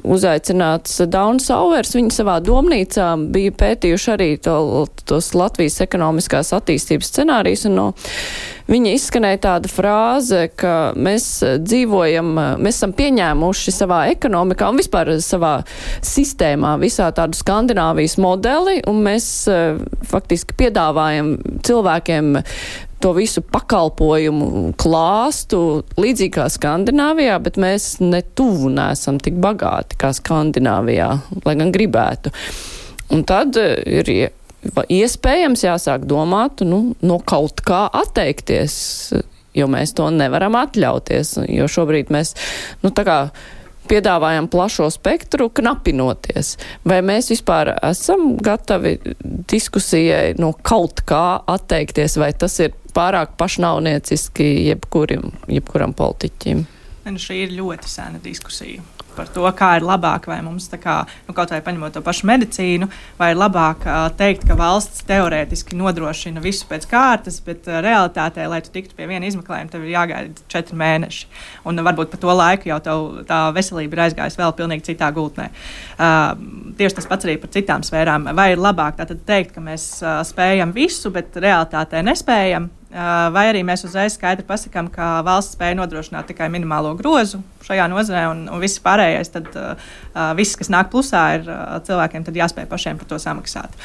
uzaicināts Dauns Sauvers. Viņi savā domnīcā bija pētījuši arī to, tos Latvijas ekonomiskās attīstības scenārijus, un no viņa izskanēja tāda frāze, ka mēs dzīvojam, mēs esam pieņēmuši savā ekonomikā un vispār savā sistēmā visā tādu Skandināvijas modeli, un mēs faktiski piedāvājam cilvēkiem to visu pakalpojumu klāstu līdzīgi kā Skandināvijā, bet mēs ne tuvu neesam tik bagāti kā Skandināvijā, lai gan gribētu. Un tad ir iespējams jāsāk domāt, nu, no kaut kā atteikties, jo mēs to nevaram atļauties, jo šobrīd mēs, nu, tā kā piedāvājam plašo spektru, knapinoties. Vai mēs vispār esam gatavi diskusijai no kaut kā atteikties, vai tas ir pārāk pašnāvnieciski jebkurim, jebkuram politiķim? Nu, šī ir ļoti sena diskusija par to, kā ir labāk, vai mums tā kā, nu, kaut vai paņemot to pašu medicīnu, vai ir labāk uh, teikt, ka valsts teorētiski nodrošina visu pēc kārtas, bet uh, realitātē, lai tu tiktu pie viena izmeklējuma, tev ir jāgaida četri mēneši. Un uh, varbūt pa to laiku jau tev tā veselība ir aizgājusi vēl pilnīgi citā gultnē. Uh, tieši tas pats arī par citām sfērām. Vai ir labāk tātad teikt, ka mēs uh, spējam visu, bet realitātē nespējam? Vai arī mēs uzreiz skaidri pasakām, ka valsts spēja nodrošināt tikai minimālo grozu šajā nozarē, un, un viss pārējais, tad uh, viss, kas nāk plusā, ir uh, cilvēkiem tad jāspēj pašiem par to samaksāt.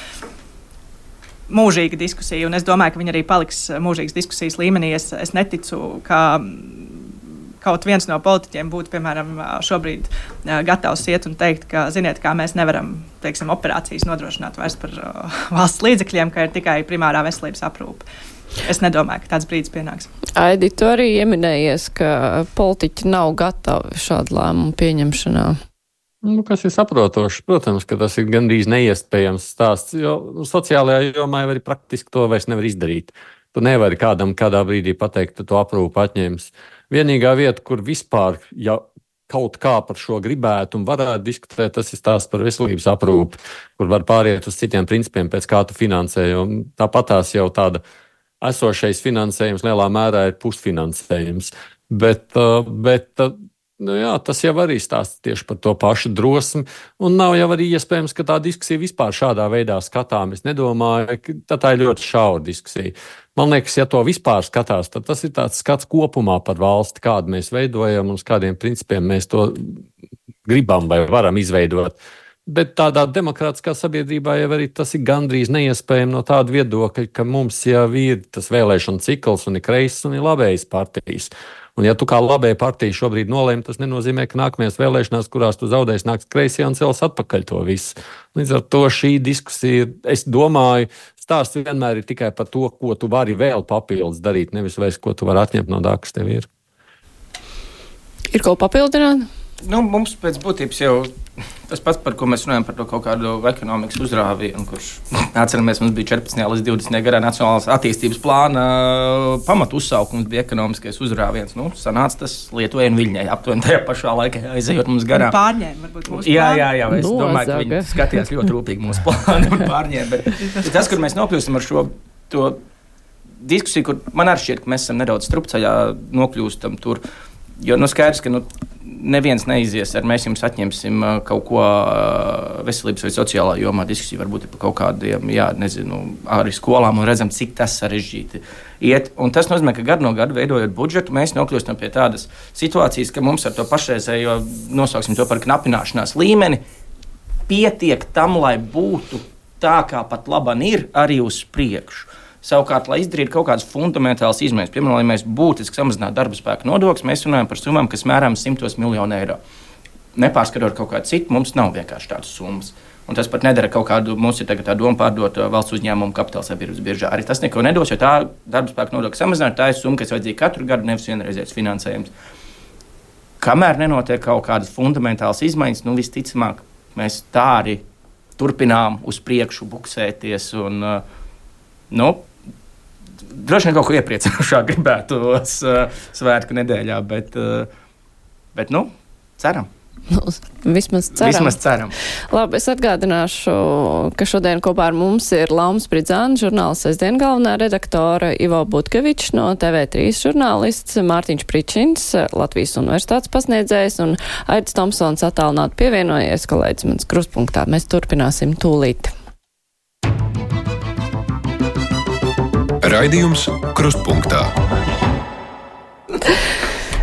Mūžīga diskusija, un es domāju, ka viņi arī paliks mūžīgas diskusijas līmenī. Es, es neticu, ka kaut viens no politiķiem būtu, piemēram, šobrīd uh, gatavs iet un teikt, ka, ziniet, kā mēs nevaram, teiksim, operācijas nodrošināt vairs par uh, valsts līdzekļiem, ka ir tikai primārā veselības aprūpe. Es nedomāju, ka tāds brīdis pienāks. Aidi, tu arī ieminējies, ka politiķi nav gatavi šādu lēmumu pieņemšanā. Nu, kas ir saprotošs? Protams, ka tas ir gandrīz neiespējams stāsts, jo nu, sociālajā jomā jau arī praktiski to vairs nevar izdarīt. Tu nevari kādam kādā brīdī pateikt, ka tu aprūpu atņems. Vienīgā vieta, kur vispār ja kaut kā par šo gribētu un varētu diskutēt, tas ir stāsts par veselības aprūpi, kur var pāriet uz citiem principiem, pēc kā tu finansē. Tāpatās jau tāda esošais finansējums lielā mērā ir pusfinansējums. Bet, bet nu jā, tas jau arī stāsta tieši par to pašu drosmi, un nav jau arī iespējams, ka tā diskusija vispār šādā veidā skatām. Es nedomāju, ka tā ir ļoti šaura diskusija. Man liekas, ja to vispār skatās, tad tas ir tāds skats kopumā par valsti, kādu mēs veidojam un uz kādiem principiem mēs to gribam vai varam izveidot. Bet tādā demokrātiskā sabiedrībā jau arī tas ir gandrīz neiespējami no tāda viedokļa, ka mums jau ir tas vēlēšana cikls un ir kreisas un ir labējas partijas. Un ja tu kā labēja partija šobrīd nolēmi, tas nenozīmē, ka nākamajās vēlēšanās, kurās tu zaudēsi, nāks kreisie un cels atpakaļ to visu. Līdz ar to šī diskusija, es domāju, stāsts vienmēr ir tikai par to, ko tu vari vēl papildus darīt, nevis vairs, ko tu vari atņemt no tā, kas tev ir. Ir ko papildināt? Nu, mums pēc būtības jau tas pats, par ko mēs runājam, par to kaut kādu ekonomikas uzrāvienu, kurš, atceramies, mums bija četrpadsmitajā līdz divdesmitajā gadā nacionālās attīstības plāna pamatu uzsaukums bija ekonomiskais uzrāviens. Nu, sanāca tas Lietuvai un Viļņai aptuveni tajā pašā laikā aizejot mums garām. Pārņēma varbūt mūsu plānu. Jā, jā, jā, es no, domāju, ka viņi skatījās ļoti rūpīgi mūsu plānu un pārņēma. Bet tas, kur mēs nokļūstam ar šo to diskusiju, kur man arī šķiet, ka mēs esam nedaudz strupceļā nokļūstam tur, jo nu skaidrs, ka nu, neviens neizies ar mēs jums atņemsim kaut ko veselības vai sociālā jomā. Diskusija varbūt ir par kaut kādiem, jā, nezinu, arī skolām un redzam, cik tas sarežģīti iet. Un tas nozīmē, ka gadu no gada veidojot budžetu, mēs nokļūstam pie tādas situācijas, ka mums ar to pašreizējo, nosauksim to par knapināšanās līmeni, pietiek tam, lai būtu tā, kā pat laban ir, arī uz priekšu. Savukārt, lai izdarītu kaut kādas fundamentālas izmaiņas, piemēram, lai mēs būtiski samazinātu darba spēka nodokļus, mēs runājam par summām, kas mērām simtos miljonu eiro. Nepārskatot kaut kādu citu, mums nav vienkārši tādas summas. Un tas pat nedara kaut kādu, mums ir tagad tā doma pārdot valsts uzņēmumu kapitāla sabiedrības biržā. Arī tas neko nedos, jo tā darba spēka nodokļa samazināt, tā ir summa, kas vajadzīga katru gadu, nevis vienreizējs finansējums. Kamēr nenotiek kaut kādas fundamentālas izmaiņas, nu visticamāk, mēs tā arī turpinām uz priekšu buksēties un, nu, droši vien kaut ko iepriecinošāk gribētos uh, svētku nedēļā, bet, uh, bet nu, ceram. Nu, vismaz ceram. Vismaz ceram. Labi, es atgādināšu, ka šodien kopā ar mums ir Laumas Pridzāna, žurnāls Sestdien galvenā redaktore, Ivo Butkevičs no T V trīs žurnālists, Mārtiņš Pričins, Latvijas universitātes pasniedzējs un Aidis Tomsons attālināti pievienojies, kolēģis mans krustpunktā. Mēs turpināsim tūlīt. Raidījums Krustpunktā.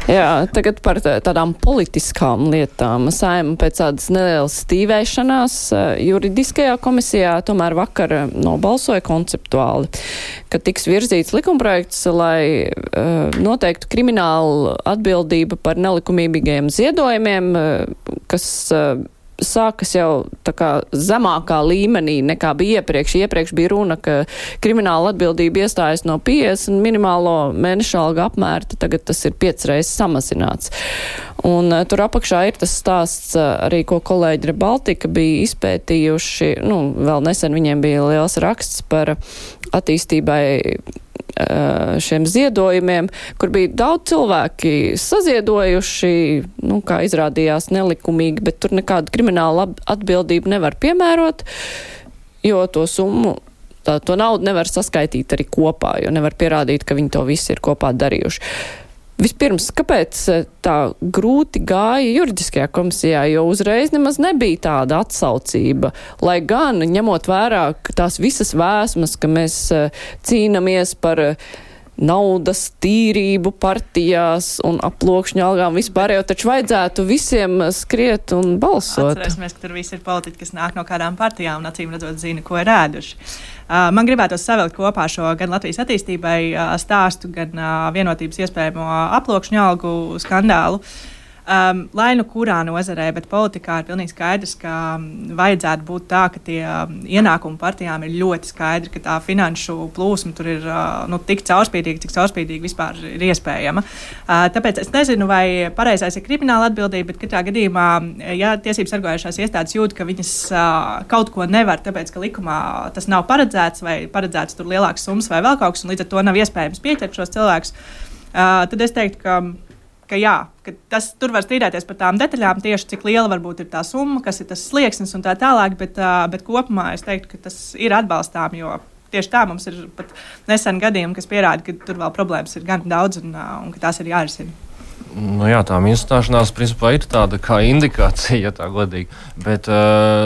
Jā, tagad par tādām politiskām lietām. Saima pēc tādas nelielas stīvēšanās juridiskajā komisijā tomēr vakar nobalsoja konceptuāli, ka tiks virzīts likumprojekts, lai uh, noteiktu kriminālu atbildību par nelikumīgiem ziedojumiem, uh, kas uh, sākas jau tā kā zemākā līmenī nekā bija iepriekš. Iepriekš bija runa, ka krimināla atbildība iestājas no piecdesmit minimālo mēneša alga apmēra, tagad tas ir piecas reizes samazināts. Un uh, tur apakšā ir tas stāsts uh, arī, ko kolēģi Rebaltika bija izpētījuši. Nu, vēl nesen viņiem bija liels raksts par attīstībai šiem ziedojumiem, kur bija daudz cilvēki saziedojuši, nu, kā izrādījās nelikumīgi, bet tur nekādu kriminālu atbildību nevar piemērot, jo to summu, tā, to naudu nevar saskaitīt arī kopā, jo nevar pierādīt, ka viņi to visu ir kopā darījuši. Vispirms, kāpēc tā grūti gāja juridiskajā komisijā, jo uzreiz nemaz nebija tāda atsaucība, lai gan ņemot vērā tās visas vēsmas, ka mēs cīnamies par naudas tīrību partijās un aploksņu algām vispār, jau taču vajadzētu visiem skriet un balsot. Atcerēsimies, ka tur visi ir politiķi, kas nāk no kādām partijām un acīm redzot zina, ko ir ēduši. Uh, man gribētos savilkt kopā šo gan Latvijas attīstībai uh, stāstu, gan uh, vienotības iespējamo aploksņu algu skandālu. Um, lai nu kurā nozarē, bet politikā ir pilnīgi skaidrs, ka vajadzētu būt tā, ka tie ienākumi partijām ir ļoti skaidri, ka tā finanšu plūsma tur ir uh, nu, tik caurspīdīga, cik caurspīdīga vispār ir iespējama. Uh, tāpēc es nezinu, vai pareizais ir krimināla atbildība, bet katrā gadījumā, ja tiesības sargājušās iestādes jūt, ka viņas uh, kaut ko nevar, tāpēc, ka likumā tas nav paredzēts vai paredzēts tur lielākas summas vai vēl kaut kas, un līdz ar to nav iespējams pieķert šos cilvēkus, uh, tad es teiktu, ka ka jā, ka tas, tur var strīdēties par tām detaļām, tieši cik liela varbūt ir tā summa, kas ir tas slieksnis un tā tālāk, bet, uh, bet kopumā es teiktu, ka tas ir atbalstām, jo tieši tā mums ir pat nesen gadījumi, kas pierāda, ka tur vēl problēmas ir gan daudz un, uh, un ka tās ir jārisina. Nu, jā, tā minustāšanās principā ir tāda kā indikācija, ja tā godīgi. Bet,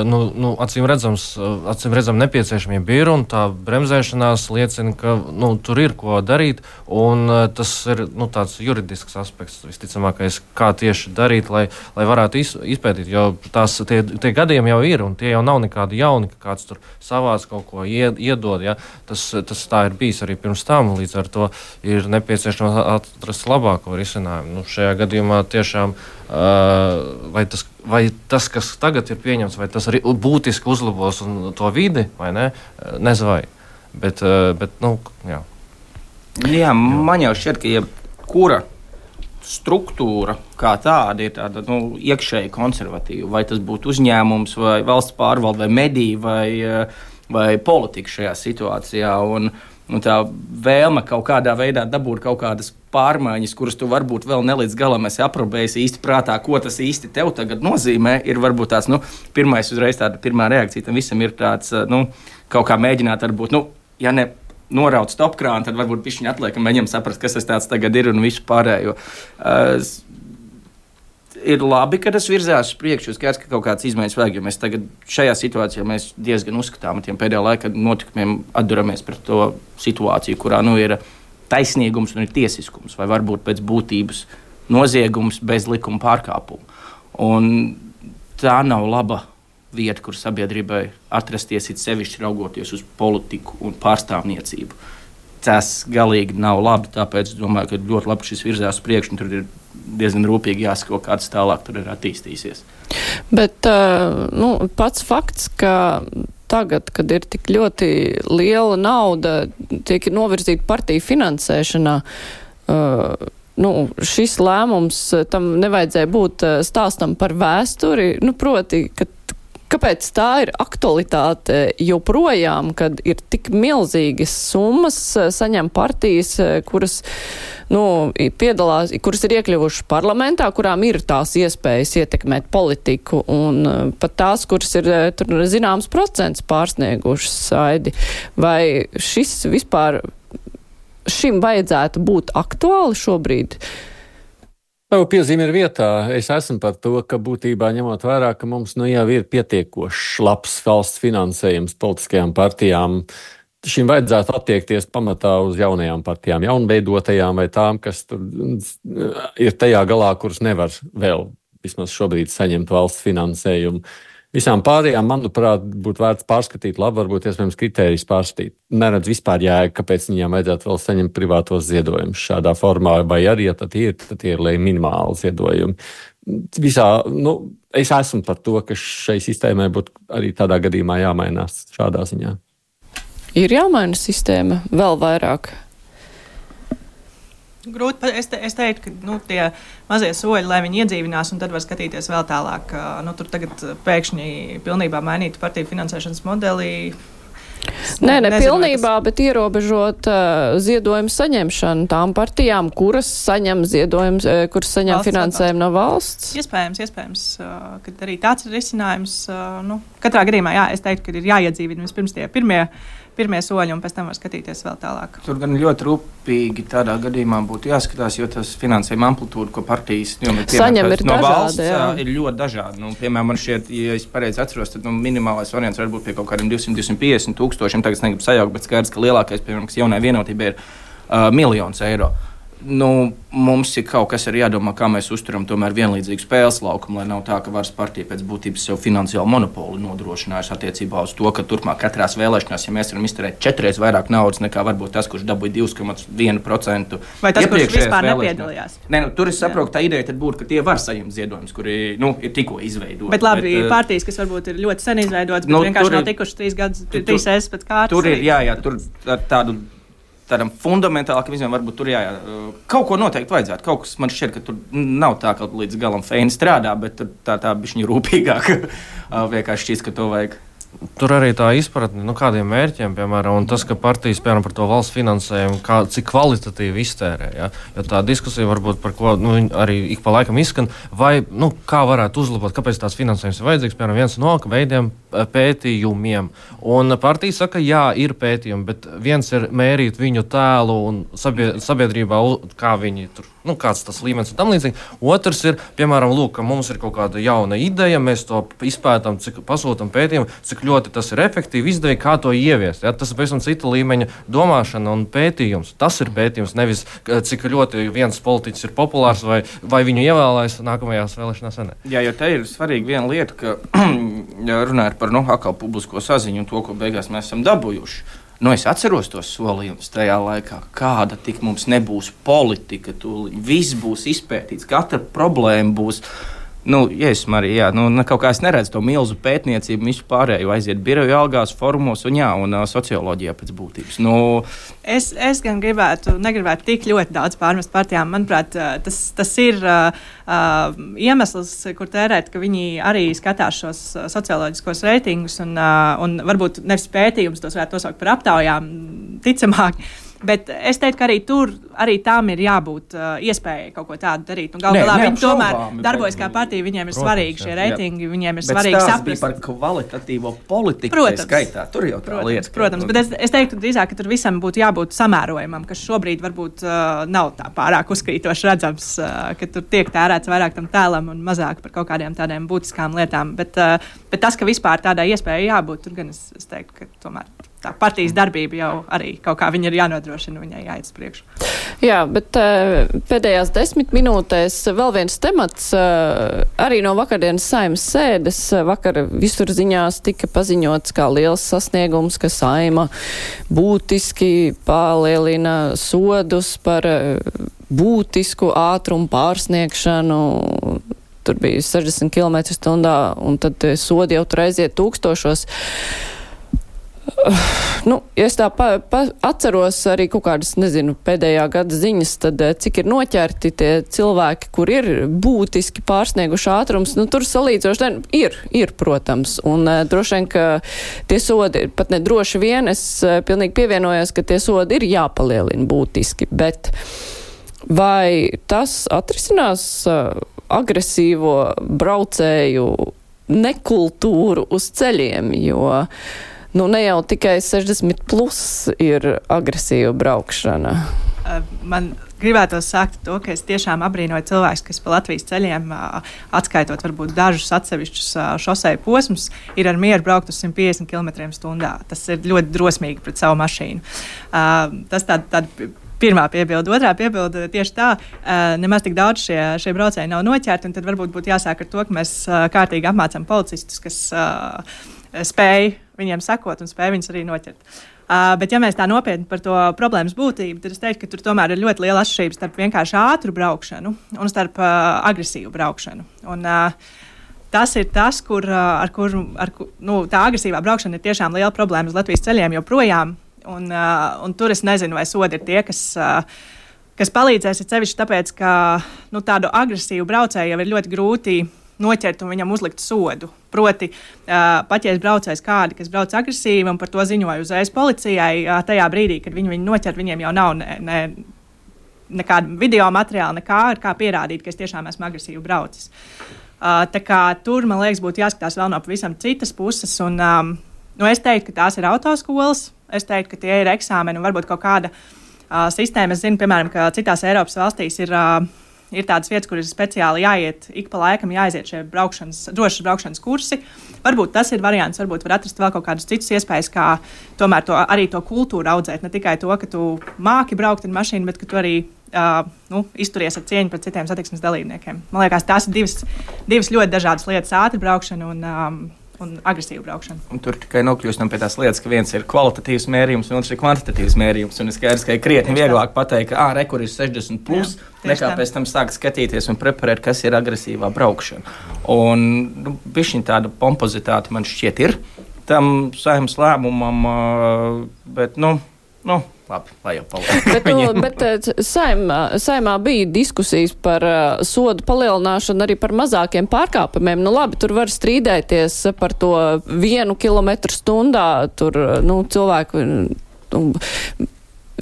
nu, nu, acīm redzams, acīm redzam nepieciešamība ir, un tā bremzēšanās liecina, ka nu, tur ir ko darīt, un tas ir nu, tāds juridisks aspekts, visticamākais, kā tieši darīt, lai, lai varētu iz, izpētīt, jo tās, tie, tie gadījumi jau ir, un tie jau nav nekādi jauni, ka kāds tur savāc kaut ko ied, iedod, ja? tas, tas tā ir bijis arī pirms tam, līdz ar to ir nepieciešams atrast labāko risinājumu. Nu, šajā gadījumā tiešām uh, vai, tas, vai tas, kas tagad ir pieņemts, vai tas arī būtiski uzlabos un to vidi, vai ne? Nezinu vai. Bet, uh, bet nu, jā. Jā, man jau šķiet, ka jebkura struktūra kā tāda ir tāda nu, iekšēji konservatīva. Vai tas būtu uzņēmums, vai valsts pārvalde, vai mediji, vai, vai politika šajā situācijā. Un, Un tā vēlme kaut kādā veidā dabūt kaut kādas pārmaiņas, kuras tu varbūt vēl ne līdz galam esi aprobējis īsti prātā, ko tas īsti tev tagad nozīmē, ir varbūt tāds, nu, pirmais uzreiz tāda pirmā reakcija tam visam ir tāds, nu, kaut kā mēģināt varbūt, nu, ja ne norauc stopkrānu, tad varbūt pišķiņi atliek un mēģinam saprast, kas tas tāds tagad ir un visu pārējo. Uh, Ir labi, ka tas virzās uz priekšu. Skaidrs, ka kaut kādas izmaiņas vajag, jo mēs tagad šajā situācijā mēs diezgan uzskatām ar tiem pēdējā laika notikumiem atduramies pret to situāciju, kurā nu ir taisnīgums un ir tiesiskums, vai varbūt pēc būtības noziegums bez likuma pārkāpuma. Un tā nav laba vieta, kur sabiedrībai atrasties, it sevišķi raugoties uz politiku un pārstāvniecību. Tas galīgi nav labi, tāpēc es domāju, ka ļoti labi šis virzās uz priekšu, un tur ir diezgan rūpīgi jāsako, kāds tālāk tur ir attīstīsies. Bet nu, pats fakts, ka tagad, kad ir tik ļoti liela nauda, tiek novirzīta partiju finansēšanā, uh, nu, šis lēmums tam nevajadzēja būt stāstam par vēsturi, nu, proti, ka kāpēc tā ir aktualitāte joprojām, kad ir tik milzīgas summas saņem partijas, kuras, nu, piedalās, kuras ir iekļuvušas parlamentā, kurām ir tās iespējas ietekmēt politiku, un pat tās, kuras ir tur zināms procents pārsniegušas saidi. Vai šis vispār šim vajadzētu būt aktuāli šobrīd? Tavu piezīme ir vietā. Es esmu par to, ka būtībā ņemot vērā, ka mums nu jau ir pietiekošs labs valsts finansējums politiskajām partijām, šim vajadzētu attiekties pamatā uz jaunajām partijām, jaunveidotajām vai tām, kas tur ir tajā galā, kuras nevar vēl vismaz šobrīd saņemt valsts finansējumu. Visām pārējām, manuprāt, būtu vērts pārskatīt labi, varbūt iespējams kritērijus pārskatīt. Neredz vispār jēga, kāpēc viņām vajadzētu vēl saņemt privātos ziedojumus šādā formā, vai arī, ja tad ir, tad ir lai minimāli ziedojumi. Visā, nu, es esmu par to, ka šai sistēmai būtu arī tādā gadījumā jāmainās šādā ziņā. Ir jāmaina sistēma vēl vairāk. Grūti, es, te, es teiktu, ka nu, tie mazie soļi, lai viņi iedzīvinās, un tad var skatīties vēl tālāk. Nu, tur tagad pēkšņi pilnībā mainīt partiju finansēšanas modeli. Nē, ne nezinu, pilnībā, tas... bet ierobežot uh, ziedojumu saņemšanu tām partijām, kuras saņem ziedojumus, uh, kuras saņem valsts finansējumu no valsts. Iespējams, iespējams, uh, ka arī tāds ir risinājums. Uh, nu, katrā gadījumā, jā, es teiktu, ka ir jāiedzīvina vispirms tie pirmie. Pirmie soļi, un pēc tam var skatīties vēl tālāk. Tur gan ļoti rūpīgi tādā gadījumā būtu jāskatās, jo tas finansējuma amplitūda, ko partijas nu, saņem, ir no dažādi, valsts, jā. ir ļoti dažādi. Nu, piemēram, man šķiet, ja es pareizi atceros, tad nu, minimālais variants var būt pie kaut kādiem divsimt līdz divsimt piecdesmit tūkstošiem. Tagad es negribu sajaukt, bet skaidrs, ka lielākais, piemēram, kas jaunai vienotībai ir uh, miljons eiro. Nu, mums ir kaut kas arī jādomā, kā mēs uzturam tomēr vienlīdzīgu spēles laukumu, lai nav tā, ka varas partija pēc būtības sev finansiālu monopolu nodrošinājusi attiecībā uz to, ka turpmāk katrās vēlēšanās, ja mēs varam izterēt četreiz vairāk naudas nekā varbūt tas, kurš dabūja divi komats viens procents. Vai tas, kurš vispār nepiedalījās? Nē, nu, tur es saprotu, tā ideja tad būtu, ka tie var saņemt ziedojumus, kuri nu, ir tikko izveidoti. Bet labi, bet, partijas, kas varbūt ir ļoti sen izveidotas, bet nu, vienkārši nav tikušas trīs gadus, trīs reizes pēc kārtas. Tur ir, jā, jā, tur ar tādu. Tādam fundamentālākam izmēram, varbūt tur jā, jā, kaut ko noteikti vajadzētu. Kaut kas man šķiet, ka tur nav tā, ka līdz galam feini strādā, bet tā, tā bišķiņa rūpīgāk vienkārši šķiet, ka to vajag. Tur arī tā izpratne, nu, kādiem mērķiem, piemēram, un tas, ka partijas, piemēram, par to valsts finansējumu, kā, cik kvalitatīvi iztērē. Ja? Jo tā diskusija varbūt par ko nu, arī ik pa laikam izskan, vai nu, kā varētu uzlabot, kāpēc tās finansējums ir vajadzīgs, piemēram, viens no veidiem pētījumiem. Un partija saka, jā, ir pētījumi, bet viens ir mērīt viņu tēlu un sabiedrībā, kā viņi tur, nu, kāds tas līmenis un tam līdzīgi. Otrs ir, piemēram, lūk, ka mums ir kaut kāda jauna ideja, mēs to izpētām, cik pasūtam pētījumu, cik ļoti tas ir efektīvi, izdevīgi, kā to ieviest. Ja? Tas ir pavisam cita līmeņa domāšana un pētījums. Tas ir pētījums, nevis cik ļoti viens politiķis ir populārs vai, vai viņu ievēlēs nākamajās vēlēšanās. Ne? Jā, jo te ir svarīga viena lieta, ka runājot par nu, atkal publisko saziņu un to, ko beigās mēs esam dabūjuši. Nu, es atceros tos solījumus tajā laikā, kāda tik mums nebūs politika, tūlīt viss būs izpētīts, katra problēma būs. Nu, yes, Marija, jā, nu, kaut kā es neredzu to milzu pētniecību, visu pārējo aiziet biroju algās, formos un, jā, un uh, socioloģijā pēc būtības. Nu, es, es gan gribētu, negribētu tik ļoti daudz pārmest partijām. Manuprāt, tas, tas ir uh, uh, iemesls, kur tērēt, ka viņi arī skatās šos socioloģiskos reitingus un, uh, un varbūt nevis pētījumus, tos varētu nosaukt par aptaujām, ticamāk. Bet es teiktu, ka arī tur arī tām ir jābūt uh, iespējai kaut ko tādu darīt. Galu galā viņi tomēr darbojas kā partija, viņiem ir svarīgi šie reitingi, viņiem ir svarīgi saprast. Bet par kvalitatīvo politiku, protams, skaitā, tur jau tā protams, lieta. Protams, bet es, es teiktu drīzāk, ka tur visam būtu jābūt samērojumam, kas šobrīd varbūt uh, nav tā pārāk uzkrītoši redzams, uh, ka tur tiek tērēts vairāk tam tēlam un mazāk par kaut kādiem tādiem būtiskām lietām. Bet, uh, bet tas, ka vispār tādai iespējai jābūt, tur gan es, es teiktu, ka tomēr tā partijas darbība jau arī kaut kā viņa ir jānodrošina, viņai jāiet uz priekšu. Jā, bet uh, pēdējās desmit minūtēs vēl viens temats, uh, arī no vakardienas Saeimas sēdes. Vakar visur ziņās tika paziņots kā liels sasniegums, ka Saeima būtiski palielina sodus par uh, būtisku ātrumu pārsniegšanu. Tur bija sešdesmit kilometri stundā, un tad sodi jau tur aiziet tūkstošos. Nu, ja es tā pa, pa, atceros arī kaut kādas, nezinu, pēdējā gada ziņas, tad cik ir noķerti tie cilvēki, kur ir būtiski pārsnieguši ātrums, nu, tur salīdzoši ir, ir, protams, un uh, droši vien, ka tie sodi, pat ne droši vien, es uh, pilnīgi pievienojos, ka tie sodi ir jāpalielina būtiski, bet vai tas atrisinās uh, agresīvo braucēju nekultūru uz ceļiem, jo nu, ne jau tikai sešdesmit plus ir agresīva braukšana. Man gribētos sākt to, ka es tiešām abrīnoju cilvēkus, kas pa Latvijas ceļiem, atskaitot varbūt dažus atsevišķus šoseju posmus, ir ar mieru braukt uz simt piecdesmit kilometriem stundā. Tas ir ļoti drosmīgi pret savu mašīnu. Tas tāda, tāda pirmā piebilde. Otrā piebilde tieši tā, nemaz tik daudz šie, šie braucēji nav noķerti, un tad varbūt būtu jāsāk ar to, ka mēs kārtīgi apmācām policistus, kas spēj viņiem sakot un spēj viņus arī noķert. Uh, bet, ja mēs tā nopietni par to problēmas būtību, tad es teiktu, ka tur tomēr ir ļoti liela atšķirība starp vienkārši ātru braukšanu un starp uh, agresīvu braukšanu. Un, uh, tas ir tas, kur, uh, ar kur, ar, nu, tā agresīvā braukšana ir tiešām liela problēma uz Latvijas ceļiem joprojām. Un, uh, un tur es nezinu, vai sodi ir tie, kas, uh, kas palīdzēs, ir sevišķi tāpēc, ka nu, tādu agresīvu braucēju jau ir ļoti grūti noķert un viņam uzlikt sodu. Proti, uh, pat ja es braucējs kādi, kas brauc agresīvi un par to ziņoju uzreiz policijai, uh, tajā brīdī, kad viņi viņu noķer, viņiem jau nav ne, ne, nekāda video materiāla, nekā ar kā pierādīt, ka es tiešām esmu agresīvi braucis. Uh, tā kā tur, man liekas, būtu jāskatās vēl no pavisam citas puses. Un, um, nu, es teiktu, ka tās ir autoskolas, es teiktu, ka tie ir eksāmeni un varbūt kaut kāda uh, sistēma. Es zinu, piemēram, ka citās Eiropas valstīs ir uh, Ir tādas vietas, kur ir speciāli jāiet, ik pa laikam jāaiziet šie braukšanas, drošas braukšanas kursi. Varbūt tas ir variants, varbūt var atrast vēl kaut kādus citus iespējas, kā tomēr to, arī to kultūru audzēt. Ne tikai to, ka tu māki braukt ar mašīnu, bet ka tu arī uh, nu, izturies ar cieņu pret citiem satiksmes dalībniekiem. Man liekas, tās ir divas, divas ļoti dažādas lietas - ātri braukšana un, um, un agresīva braukšana. Un tur tikai nokļūstam pie tās lietas, ka viens ir kvalitatīvs mērījums, un otrs ir kvantitatīvs mērījums. Un es skaidrs, ka ir krietni vieglāk pateikt, ka ā, re, kur ir sešdesmit plus, jā, nekā tā. Pēc tam sāk skatīties un preparēt, kas ir agresīvā braukšana. Un nu, bišķiņ tāda pompozitāte man šķiet ir tam Saeimas lēmumam, bet, nu, nu labi, lai jau paliek. bet, nu, bet saimā, saimā bija diskusijas par uh, sodu palielināšanu arī par mazākiem pārkāpumiem. Nu labi, tur var strīdēties par to vienu kilometru stundā, tur, nu, cilvēku... Nu,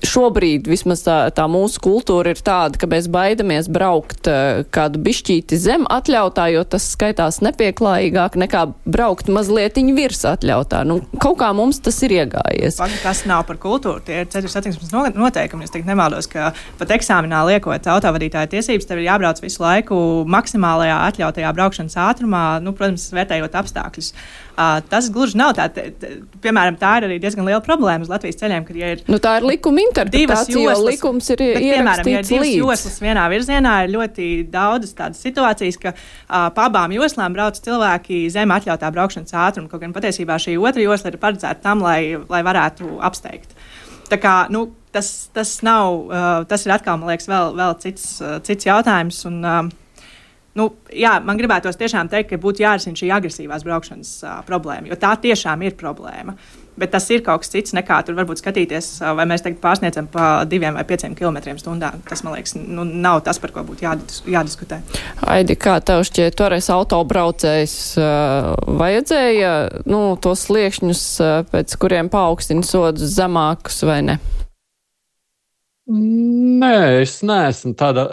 šobrīd vismaz tā, tā mūsu kultūra ir tāda, ka mēs baidamies braukt uh, kādu bišķīti zem atļautā, jo tas skaitās nepieklājīgāk nekā braukt mazlietiņu virs atļautā. Nu, kaut kā mums tas ir iegājies. Pagad, tas nav par kultūru, tie ir ceļu satiksmes noteikumi. Es teikt nemaldos, ka pat eksāmenā liekot autovadītāja tiesības, tev ir jābrauc visu laiku maksimālajā atļautajā braukšanas ātrumā, nu, protams, vērtējot apstākļus. Uh, tas gluži nav tā, t, t, piemēram, tā ir arī diezgan liela problēma uz Latvijas ceļiem, kad ja ir... Nu, tā ir likuma interpretācija, jo likums ir bet, piemēram, ja ir divas līdz. Joslas vienā virzienā, ir ļoti daudzas tādas situācijas, ka uh, pa abām joslām brauc cilvēki zem atļautā braukšanas ātruma, kaut gan patiesībā šī otra josla ir paredzēta tam, lai, lai varētu apsteigt. Tā kā, nu, tas, tas nav, uh, tas ir atkal, man liekas, vēl, vēl cits, uh, cits jautājums, un... Uh, Nu, jā, man gribētos tiešām teikt, ka būtu jārisina šī agresīvās braukšanas uh, problēma, jo tā tiešām ir problēma. Bet tas ir kaut kas cits nekā tur varbūt skatīties, uh, vai mēs tagad pārsniedzam pa diviem vai pieciem kilometriem stundā. Tas, man liekas, nu, nav tas, par ko būtu jādis, jādiskutē. Aidi, kā tev šķiet, toreiz autobraucējs uh, vajadzēja nu, tos sliekšņus, uh, pēc kuriem paaugstina sodus zemākus vai ne? Nē, es neesmu tāda.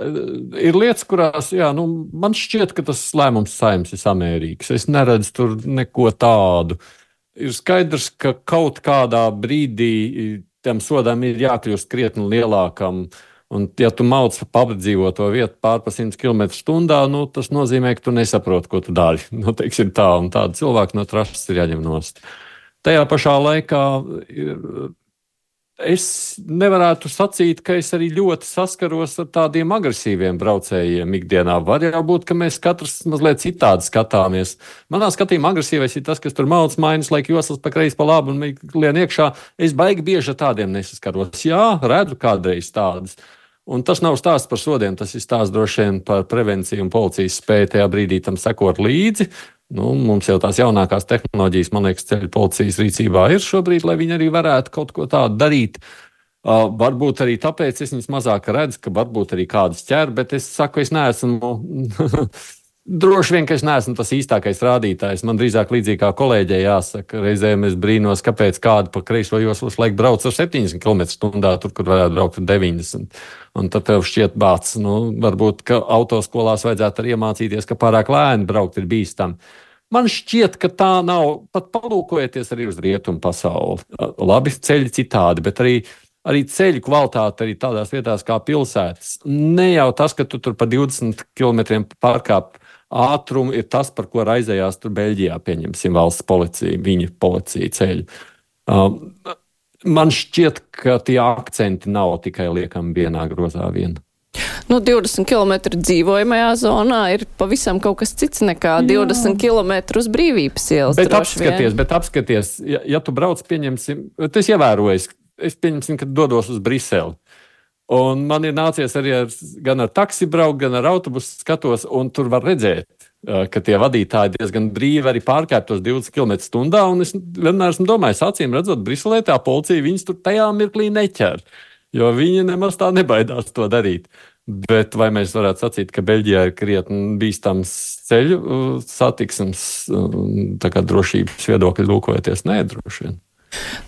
Ir lietas, kurās, jā, nu, man šķiet, ka tas lēmums Saeimas ir samērīgs. Es neredzu tur neko tādu. Ir skaidrs, ka kaut kādā brīdī tam sodām ir jākļūst krietni lielākam. Un, ja tu mauc pa apdzīvoto vietu pār pa simts kilometru stundā, nu, tas nozīmē, ka tu nesaproti, ko tu dari. Nu, teiksim tā, un tādu cilvēku no trašas ir jāņem nost. Tajā pašā laikā ir... Es nevarētu sacīt, ka es arī ļoti saskaros ar tādiem agresīviem braucējiem ikdienā. Var jau būt, ka mēs katrs mazliet citādi skatāmies. Manā skatījumā agresīvais ir tas, kas tur mauc mainas, laik joslas pa kreisi pa labu un lien iekšā. Es baigi bieži ar tādiem nesaskaros. Jā, redzu kādreiz tādas. Un tas nav stāsts par sodiem, tas ir stāsts droši vien par prevenciju un policijas spēju tajā brīdī tam sekot līdzi. Nu, mums jau tās jaunākās tehnoloģijas, man liekas, ceļu policijas rīcībā ir šobrīd, lai viņi arī varētu kaut ko tādu darīt. Uh, varbūt arī tāpēc es viņus mazāk redzu, ka varbūt arī kādas ķer, bet es saku, es neesmu, droši vien, ka es neesmu tas īstākais rādītājs. Man drīzāk līdzīgi kā kolēģei jāsaka, reizēm es brīnos, kāpēc kādu pa kreiso joslas laiku brauc ar septiņdesmit kilometru stundā, tur, kur varētu braukt ar deviņdesmit. Un tad tev šķiet bāc, nu, varbūt, ka autoskolās vajadzētu arī iemācīties, ka pārāk lēni braukt ir bīstami. Man šķiet, ka tā nav, pat palūkojieties arī uz rietumu pasauli. Labi, ceļi citādi, bet arī, arī ceļu kvalitāte arī tādās vietās kā pilsētas. Ne jau tas, ka tu tur pa divdesmit kilometriem pārkāp ātrumu, ir tas, par ko raizējās tur Beļģijā, pieņemsim, valsts policija, viņa policija ceļu. Um, Man šķiet, ka tie akcenti nav tikai liekami vienā grozā vien. Nu, divdesmit kilometri dzīvojamajā zonā ir pavisam kaut kas cits nekā Jā. divdesmit kilometri uz Brīvības ielas. Bet apskaties, bet apskaties, ja, ja tu brauc, pieņemsim, es ievēroju, es pieņemsim, ka dodos uz Briseli. Un man ir nācies arī ar, gan ar taksi braukt, gan ar autobusu skatos, un tur var redzēt, ka tie vadītāji diezgan brīvi arī pārkāp tos divdesmit kilometru stundā, un es vienmēr esmu domājis, acīm redzot, Briselē tā policija viņus tur tajā mirklī neķer, jo viņi nemaz tā nebaidās to darīt. Bet vai mēs varētu sacīt, ka Beļģijā ir krietni bīstams ceļu satiksmes, tā kā drošības viedokļi lūkojoties? Nē, droši vien.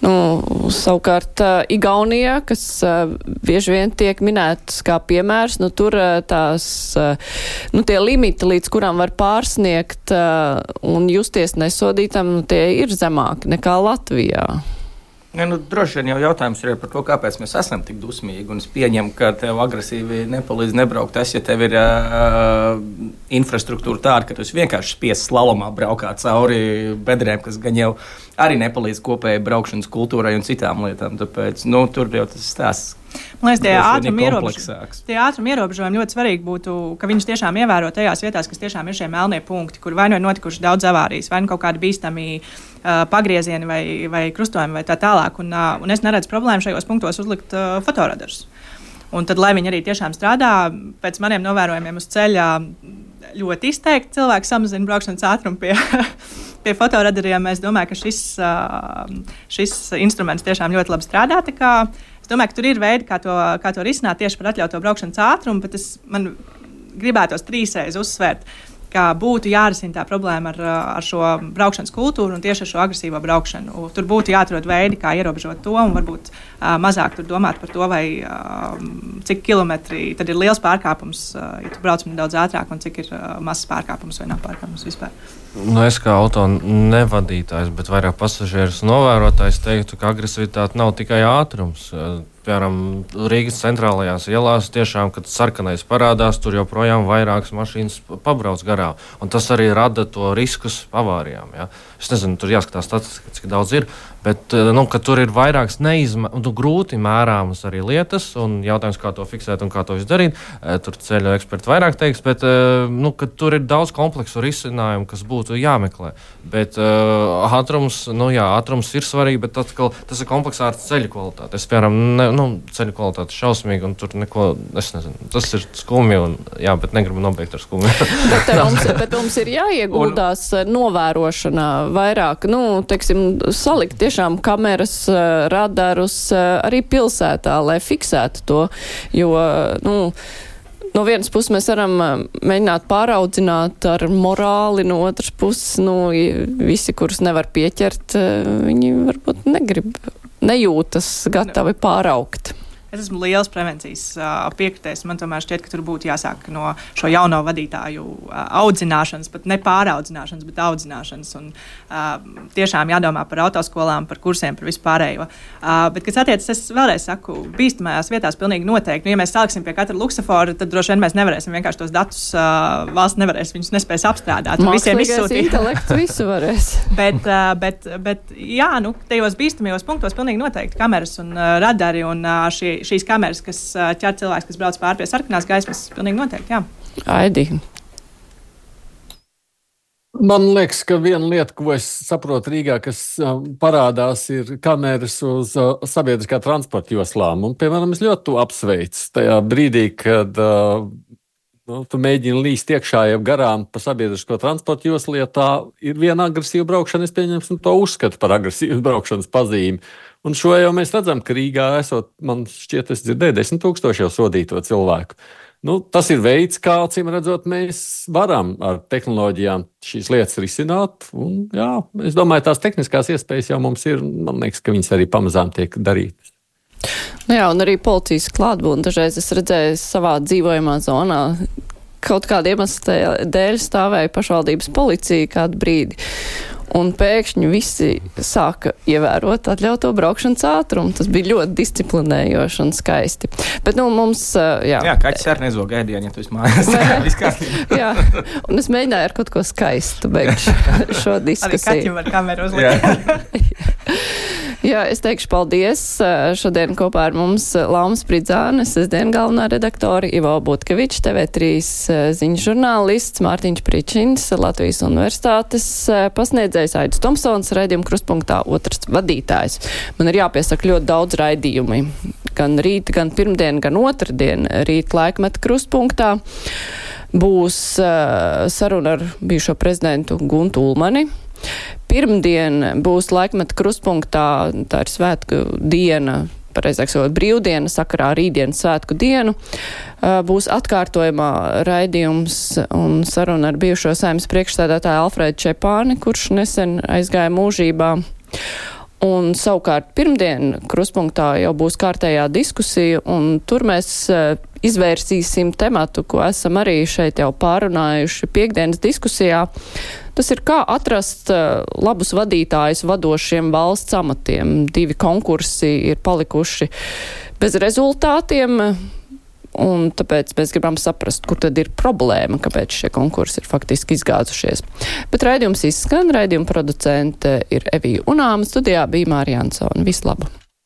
Nu, savukārt Igaunijā, kas uh, bieži vien tiek minētas kā piemērs, nu tur uh, tās, uh, nu tie limiti, līdz kurām var pārsniegt uh, un justies nesodītam, nu tie ir zemāki nekā Latvijā. Ja, nu, droši vien jau jautājums ir par to, kāpēc mēs esam tik dusmīgi. Un es pieņemu, ka tev agresīvi nepalīdz nebraukt. Tas, ja tev ir uh, infrastruktūra tāda, ka tu vienkārši spiests slalomā braukāt cauri bedrēm, kas gan jau arī nepalīdz kopējai braukšanas kultūrai un citām lietām. Tāpēc nu, tur jau tas stāsts Man liekas, tie ātruma ierobežojumi, tie ātruma ierobežojumi ļoti svarīgi būtu, ka viņus tiešām ievēro tajās vietās, kas tiešām ir šie melnie punkti, kur vai nu ir notikuši daudz avārijas, vai nu kaut kādi bīstami uh, pagriezieni vai, vai krustojumi vai tā tālāk. Un, uh, un es neredzu problēmu šajos punktos uzlikt uh, fotoradarus. Un tad, lai viņi arī tiešām strādā, pēc maniem novērojumiem uz ceļa ļoti izteikti cilvēki samazina braukšanas ātrumu pie, pie fotoradariem. Es domāju, ka šis, šis instruments tiešām ļoti labi strādā. Tā kā es domāju, ka tur ir veidi, kā to, kā to risināt tieši par atļauto braukšanas ātrumu, bet es man gribētos trīsreiz uzsvērt, ka būtu jārisina tā problēma ar, ar šo braukšanas kultūru un tieši ar šo agresīvo braukšanu. Tur būtu jāatrod veidi, kā ierobežot to un varbūt uh, mazāk tur domāt par to, vai uh, cik kilometri tad ir liels pārkāpums, uh, ja tu brauc nedaudz ātrāk, un cik ir uh, mazs pārkāpums vai nav pārkāpums vispār. Nu, es kā auto nevadītājs, bet vairāk pasažierus novērotājs teiktu, ka agresivitāte nav tikai ātrums. Piemēram, Rīgas centrālajās ielās tiešām, kad sarkanais parādās, tur joprojām vairākas mašīnas pabrauc garām. Un tas arī rada to riskus avārijām. Ja? Es nezinu, tur jāskatās statistika, cik daudz ir, bet nu, ka tur ir vairākas neizmē, un, grūti mērāmas arī lietas, un jautājums, kā to fiksēt un kā to izdarīt. Tur ceļu eksperti vairāk teiks, bet nu, ka tur ir daudz kompleksu risinājumu, kas būtu jāmeklē. Bet uh, ātrums, nu jā, ātrums ir svarīgi, bet atkal, tas ir kompleksā ar ceļu kvalitāti. Es, piemēram, ne, nu, ceļu kvalitāte šausmīgi, un tur neko, es nezinu, tas ir skumji, un, jā, bet negribu nobeigt ar skumju. bet, mums, bet mums ir jāieguldās un... novērošanā vairāk, nu, teiksim, salikt tiešām kameras, radarus arī pilsētā, lai fiksētu to, jo, nu, no vienas puses mēs varam mēģināt pāraudzināt ar morāli, no otras puses, nu, visi, kurus nevar pieķert, viņi varbūt negrib, nejūtas gatavi pāraukt. Es esmu liels prevencijas uh, piekritējs. Man tomēr šķiet, ka tur būtu jāsāk no šo jauno vadītāju uh, audzināšanas, pat ne pāraudzināšanas, bet audzināšanas. Un uh, tiešām jādomā par autoskolām, par kursiem, par vispārējo. Uh, bet, kas attiecas, es vēlreiz saku, bīstamajās vietās pilnīgi noteikti. Nu, ja mēs saliksim pie katra luksafora, tad droši vien mēs nevarēsim vienkārši tos datus, uh, valsts nevarēs, viņus nespēs apstrādāt. Mākslīgais intelekts visu varēs. bet, uh, bet, bet, jā, nu, tajos bīstamajos punktos pilnīgi noteikti kameras un uh, radari un uh, šie šīs kameras, kas ķer cilvēks, kas brauc pāri pie sarkanās gaismas, pilnīgi noteikti, jā. Aidi. Man liekas, ka viena lieta, ko es saprotu Rīgā, kas uh, parādās, ir kameras uz uh, sabiedriskā transporta joslām. Un, piemēram, es ļoti to apsveicu tajā brīdī, kad uh, nu, tu mēģini līst iekšā jau garām pa sabiedrisko transporta joslu, ja tā ir viena agresīva braukšana, es pieņemsim to uzskatu par agresīvas braukšanas pazīmi. Un šo jau mēs redzam, ka Rīgā esot, man šķiet, es dzirdēju, desmit tūkstoši jau sodīto cilvēku. Nu, tas ir veids, kā, acīm redzot, mēs varam ar tehnoloģijām šīs lietas risināt. Un, jā, es domāju, tās tehniskās iespējas jau mums ir, man liekas, ka viņas arī pamazām tiek darītas. Nu jā, un arī policijas klātbūtne. Dažreiz es redzēju savā dzīvojamā zonā, kaut kāda iemesla dēļ stāvēja pašvaldības policija kādu brīdi. Un pēkšņi visi sāka ievērot atļauto braukšanas ātrumu. Tas bija ļoti disciplinējoši un skaisti. Bet, nu, mums, jā. Jā, kaķis arī nezog ēdienu, ja tu esi mājās. Jā, un es mēģināju ar kaut ko skaistu beigt šo diskusiju. Arī kaķim var kameru uzlikt. Jā, es teikšu paldies. Šodien kopā ar mums Lauma Spridzāne, sestdien galvenā redaktori, Ivo Butkevičs, T V trīs ziņu žurnālists, Mārtiņš Pričins, Latvijas universitātes pasniedzējs, Aidis Tomsons, raidījuma Krustpunktā otrs vadītājs. Man ir jāpiesaka ļoti daudz raidījumi. Gan rīt, gan pirmdien, gan otrdien rīt laikmeta Krustpunktā. Būs uh, saruna ar bijušo prezidentu Guntu Ulmani. Pirmdien būs laikmeta Krustpunktā, tā ir svētku diena, pareizāk sakot, brīvdiena, sakarā rītdienas svētku dienu. Būs atkārtojumā raidījums un saruna ar bijušo Saeimas priekšsēdētāju Alfredu Čepāni, kurš nesen aizgāja mūžībā. Un savukārt pirmdien Krustpunktā jau būs kārtējā diskusija, un tur mēs izvērsīsim tematu, ko esam arī šeit jau pārunājuši piekdienas diskusijā. Tas ir, kā atrast labus vadītājus vadošiem valsts amatiem. Divi konkursi ir palikuši bez rezultātiem, un tāpēc mēs gribam saprast, kur tad ir problēma, kāpēc šie konkursi ir faktiski izgāzušies. Bet raidījums izskan, raidījuma producente ir Evija Unāma, studijā bija Mārija Ansone. Visu labu!